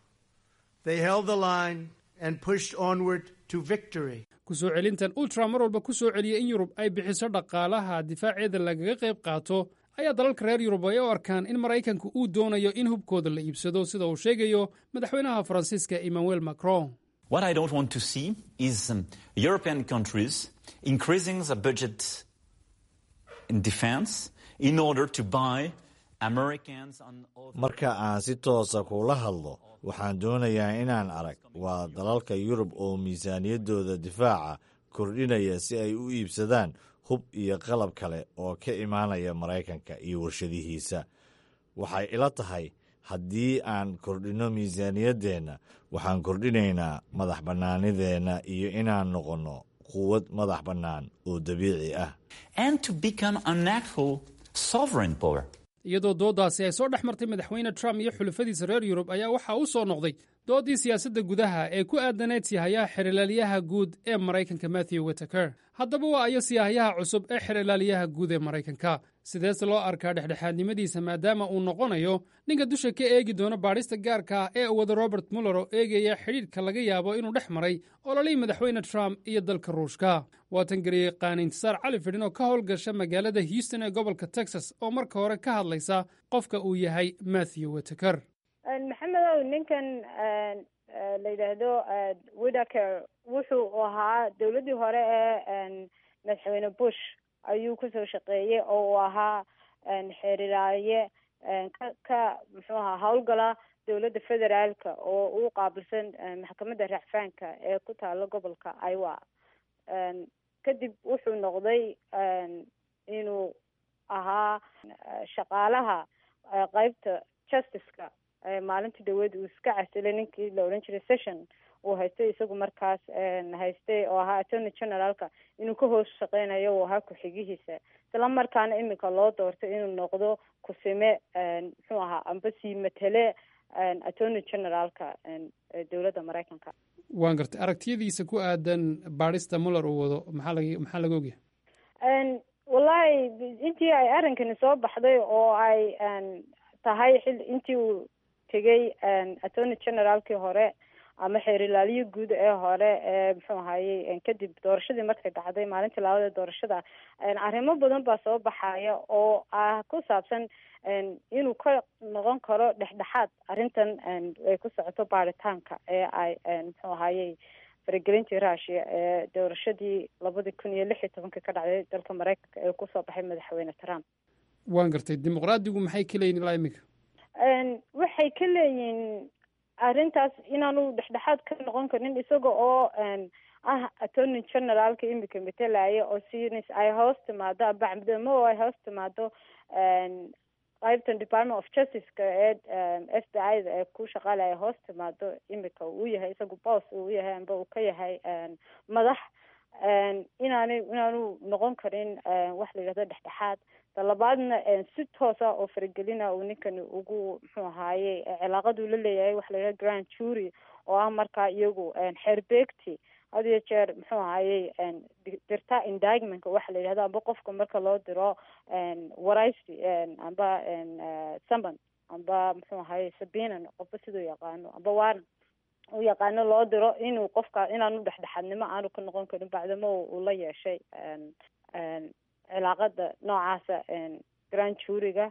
They held the line and pushed onward to victory. Ku soo celintan uu Trump mar walba ku soo celiyey in Yurub ay bixiso dhaqaalaha difaaceeda lagaga qayb qaato ayaa dalalka reer Yurub ay u arkaan in Maraykanku uu doonayo in hubkooda la iibsado, sida uu sheegayo madaxweynaha Faransiiska Emmanuel Macron. What I don't want to see is um, European countries increasing the budget in defense in order to buy Americans and Marka aan si toosa kula hadlo, waxaan doonayaa inaan arag waa dalalka Yurub oo miisaaniyaddooda difaaca kordhinaya si ay u iibsadaan hub iyo qalab kale oo ka imaanaya Maraykanka iyo warshadihiisa. Waxay ila tahay haddii aan kordhinno miisaaniyaddeenna, waxaan kordhinaynaa madax bannaanideenna iyo inaan noqonno quwad madax bannaan oo dabiici ah. and to become an actual sovereign power. Iyadoo dooddaasi ay soo dhex martay madaxweyne Trump iyo xulafadiisa reer Yurub ayaa waxaa u soo noqday dooddii siyaasadda gudaha ee ku aadanayd siihayaha xerilaalyaha guud ee Maraykanka Matthew Whitaker. Haddaba waa ayo siihayaha cusub ee xerilaalyaha guud ee Maraykanka? Sideese loo arkaa dhexdhexaadnimadiisa, maadaama uu noqonayo ninka dusha ka eegi doono baadhista gaarka ah ee uu wada Robert Mueller oo eegaya xidhiidhka laga yaabo inuu dhex maray ololihii madaxweyne Trump iyo dalka Ruushka? Waa tan garyaqaan Intisaar Cali Fidhin oo ka howlgasha magaalada Houston ee gobolka Texas oo marka hore ka hadlaysa qofka uu yahay Matthew Whitaker. Maxamedow, ninkan la yidhaahdo Whitaker wuxuu ahaa dowladdii hore ee madaxweyne Bush ayuu kusoo shaqeeyey, oo uu ahaa xeerilaaye ka ka muxuu ahaa howlgala dowladda federaalka oo uu qaabilsan maxkamadda racfaanka ee ku taalo gobolka Iowa. Kadib wuxuu noqday inuu ahaa shaqaalaha qeybta justice-ka. Maalintii dhaweed uu iska casilay ninkii la odhan jiray Session uu haystay, isagu markaas haystay oo ahaa attorney generalka, inuu ka hoos shaqeynayo uu ahaa ku-xigihiisa, isla markaana iminka loo doortay inuu noqdo kusime, muxuu ahaa, amba sii matele attorney generalka dowladda Maraykanka. Waan gartay. Aragtiyadiisa ku aadan baadhista Mueller uu wado maxaa laga maxaa laga ogyahay? Wallahi, intii ay arrinkani soo baxday oo ay tahay xil intii uu tegay attorney generalkii hore ama xeerilaaliyo guud ee hore ee muxuu ahayey, kadib doorashadii markay dhacday maalintii labaad ee doorashada, arrimo badan baa soo baxaya oo ah ku saabsan inuu ka noqon karo dhexdhexaad arrintan ay ku socoto baaritaanka ee ay muxuu ahayey faragelintii Russia ee doorashadii labadii kun iyo lix iyo tobanka ka dhacday dalka Maraykanka ee kusoo baxay madaxweyne Trump. Waan gartay. Dimuqraadigu maxay ka leeyihin ilaa iminka? Waxay ka leeyihiin arrintaas inaanu dhexdhexaad ka noqon karin, isaga oo ah attorney generalka imika matalaya, oo sinis ay hoos timaado amba camdamo oo ay hoos timaado qaybtan Department of Justice-ka ee F B I da ee ku shaqaalaya hoos timaado, imika uu yahay isagu boss uu yahay amba uu ka yahay madax, inaanay inaanu noqon karin wax la yidhahdo dhexdhexaad. Talabaadna, si toosa oo faragelina uu ninkani ugu muxuu ahaaye cilaaqaduu la leeyahay waxa la yidhahdo grand jury, oo ah markaa iyagu xeerbeegti had iyo jeer muxuu ahayey dirta indictmentka waxa la yidhahdo, amba qofka marka loo diro waraysi amba summon amba muxuu ahaye subpoena, qofba siduu yaqaano, amba warrant u yaqaano loo diro, inuu qofka inaanu dhexdhexaadnimo aanu ka noqon karin, bacdamo uu la yeeshay cilaaqada noocaasa grand juryga,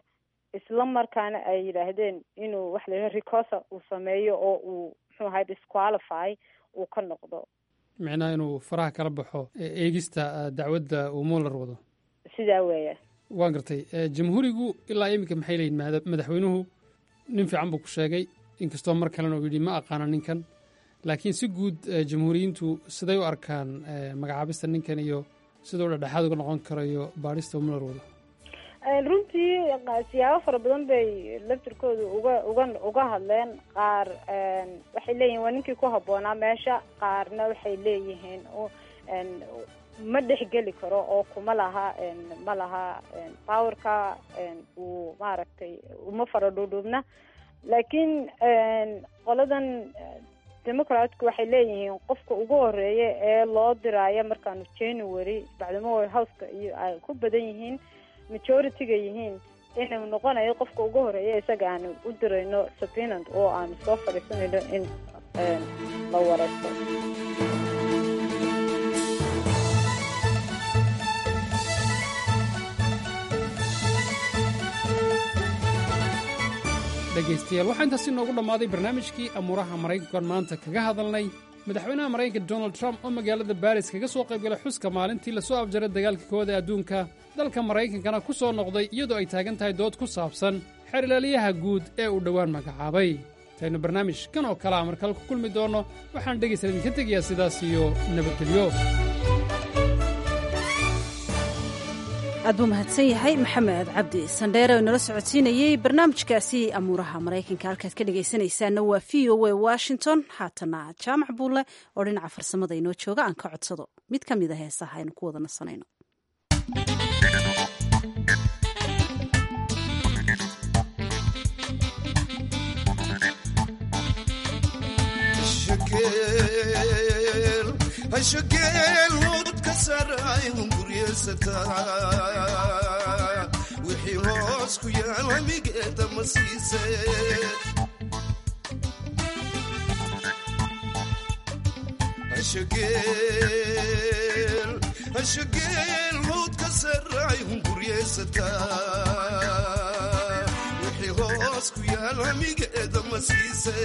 isla markaana ay yidhaahdeen inuu waxa la yidhahdo recusal uu sameeyo oo uu muxuu ahay disqualify uu ka noqdo. Micnaha inuu faraha kala baxo eegista dacwadda uu Mueller wado. Sidaa weeya. Waan gartay. Jamhuurigu ilaa iminka maxay leeyihin? Madaxweynuhu nin fiican buu ku sheegay, inkastoo mar kalena uu yidhi ma aqaano ninkan, laakiin si guud jamhuuriyiintu siday u arkaan magacaabista ninkan iyo siduu dhexdhexaad uga noqon karayo baadhista uu Muller wado? Runtii siyaabo fara badan bay laftirkooda uga uga uga hadleen. Qaar waxay leeyihiin waa ninkii ku habboonaa meesha, qaarna waxay leeyihiin ma dhexgeli karo oo kuma laha, ma laha powerka uu maaragtay, uma fara dhuudhuubna. Laakiin qoladan Democratku waxay leeyihiin qofka ugu horeeya ee loo diraayo markaanu January, bacdamo Houseka iyo ay ku badan yihiin, majority-ga yihiin, inuu noqonayo qofka ugu horeeya isaga aanu u dirayno subpoena oo aanu soo fadhiisanayno in la wareysto. Dhegaystayaal, waxaa intaasi inoogu dhammaaday barnaamijkii amuuraha Maraykankan maanta kaga hadalnay madaxweynaha Maraykanka Donald Trump oo magaalada Baris kaga soo qaybgalay xuska maalintii lasoo afjaray dagaalka koowaad ee adduunka, dalka Maraykankana ku soo noqday iyadoo ay taagan tahay dood ku saabsan xeer ilaaliyaha guud ee uu dhowaan magacaabay. Intaynu barnaamij kan oo kalea markale ku kulmi doonno, waxaan dhegaystayaal idinka tegayaa sidaas iyo nabadgelyo. Aad buu mahadsan yahay Maxamed Cabdi Sandheere oo inala socodsiinayey barnaamijkaasi amuuraha Maraykanka. Halkaad ka dhegaysanaysaana waa V O A Washington. Haatana Jaamac Buulle oo dhinaca farsamada inoo jooga aan ka codsado mid ka mid a heesaha aynu ku wada nasanayno. Wixii hoos ku yaal hamigeeda ma siise. Hashageel howdka saray hunguryeysata, wixii hoos ku yaal hamigeeda ma siise.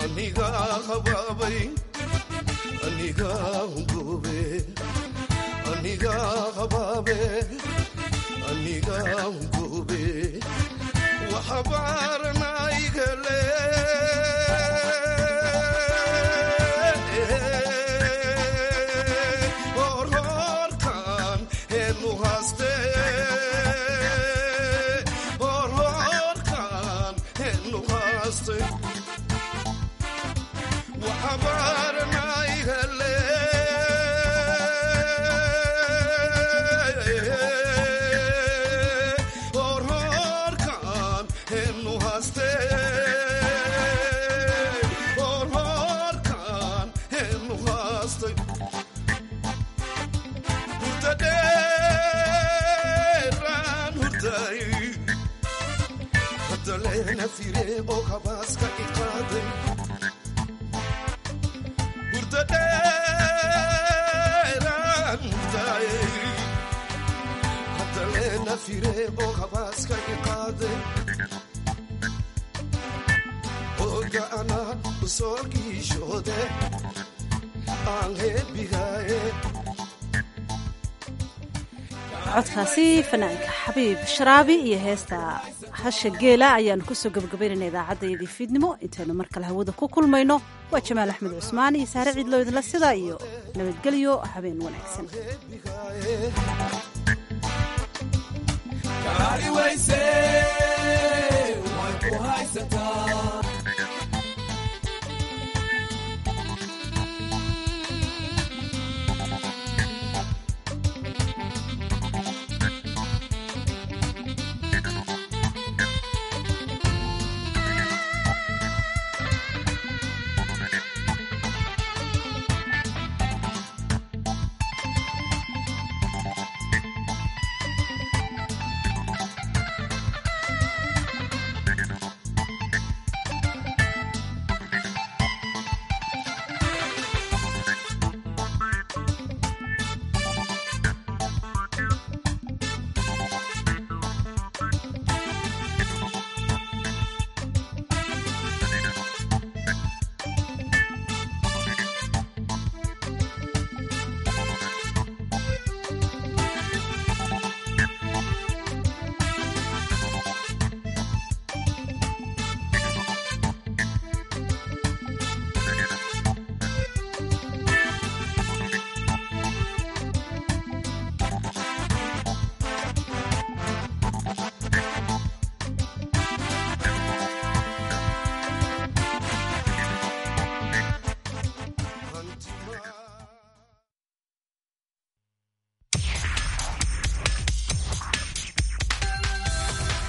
Aniga habaabay, aniga hungube, aniga habaabe, aniga hungube, waxabaaranaygale horhoorkan heenu haaste, horhoorkan heenu haaste. Codkaasi fanaanka Xabiib Sharaabi iyo heesta Hasha Geela ayaanu kusoo gabagabaynayna idaacaddayadii fiidnimo. Intaynu mar kale hawada ku kulmayno, waa Jamaal Axmed Cusmaan iyo Saare Ciidlo idinla sidaa iyo nabadgelyo, habeen wanaagsan.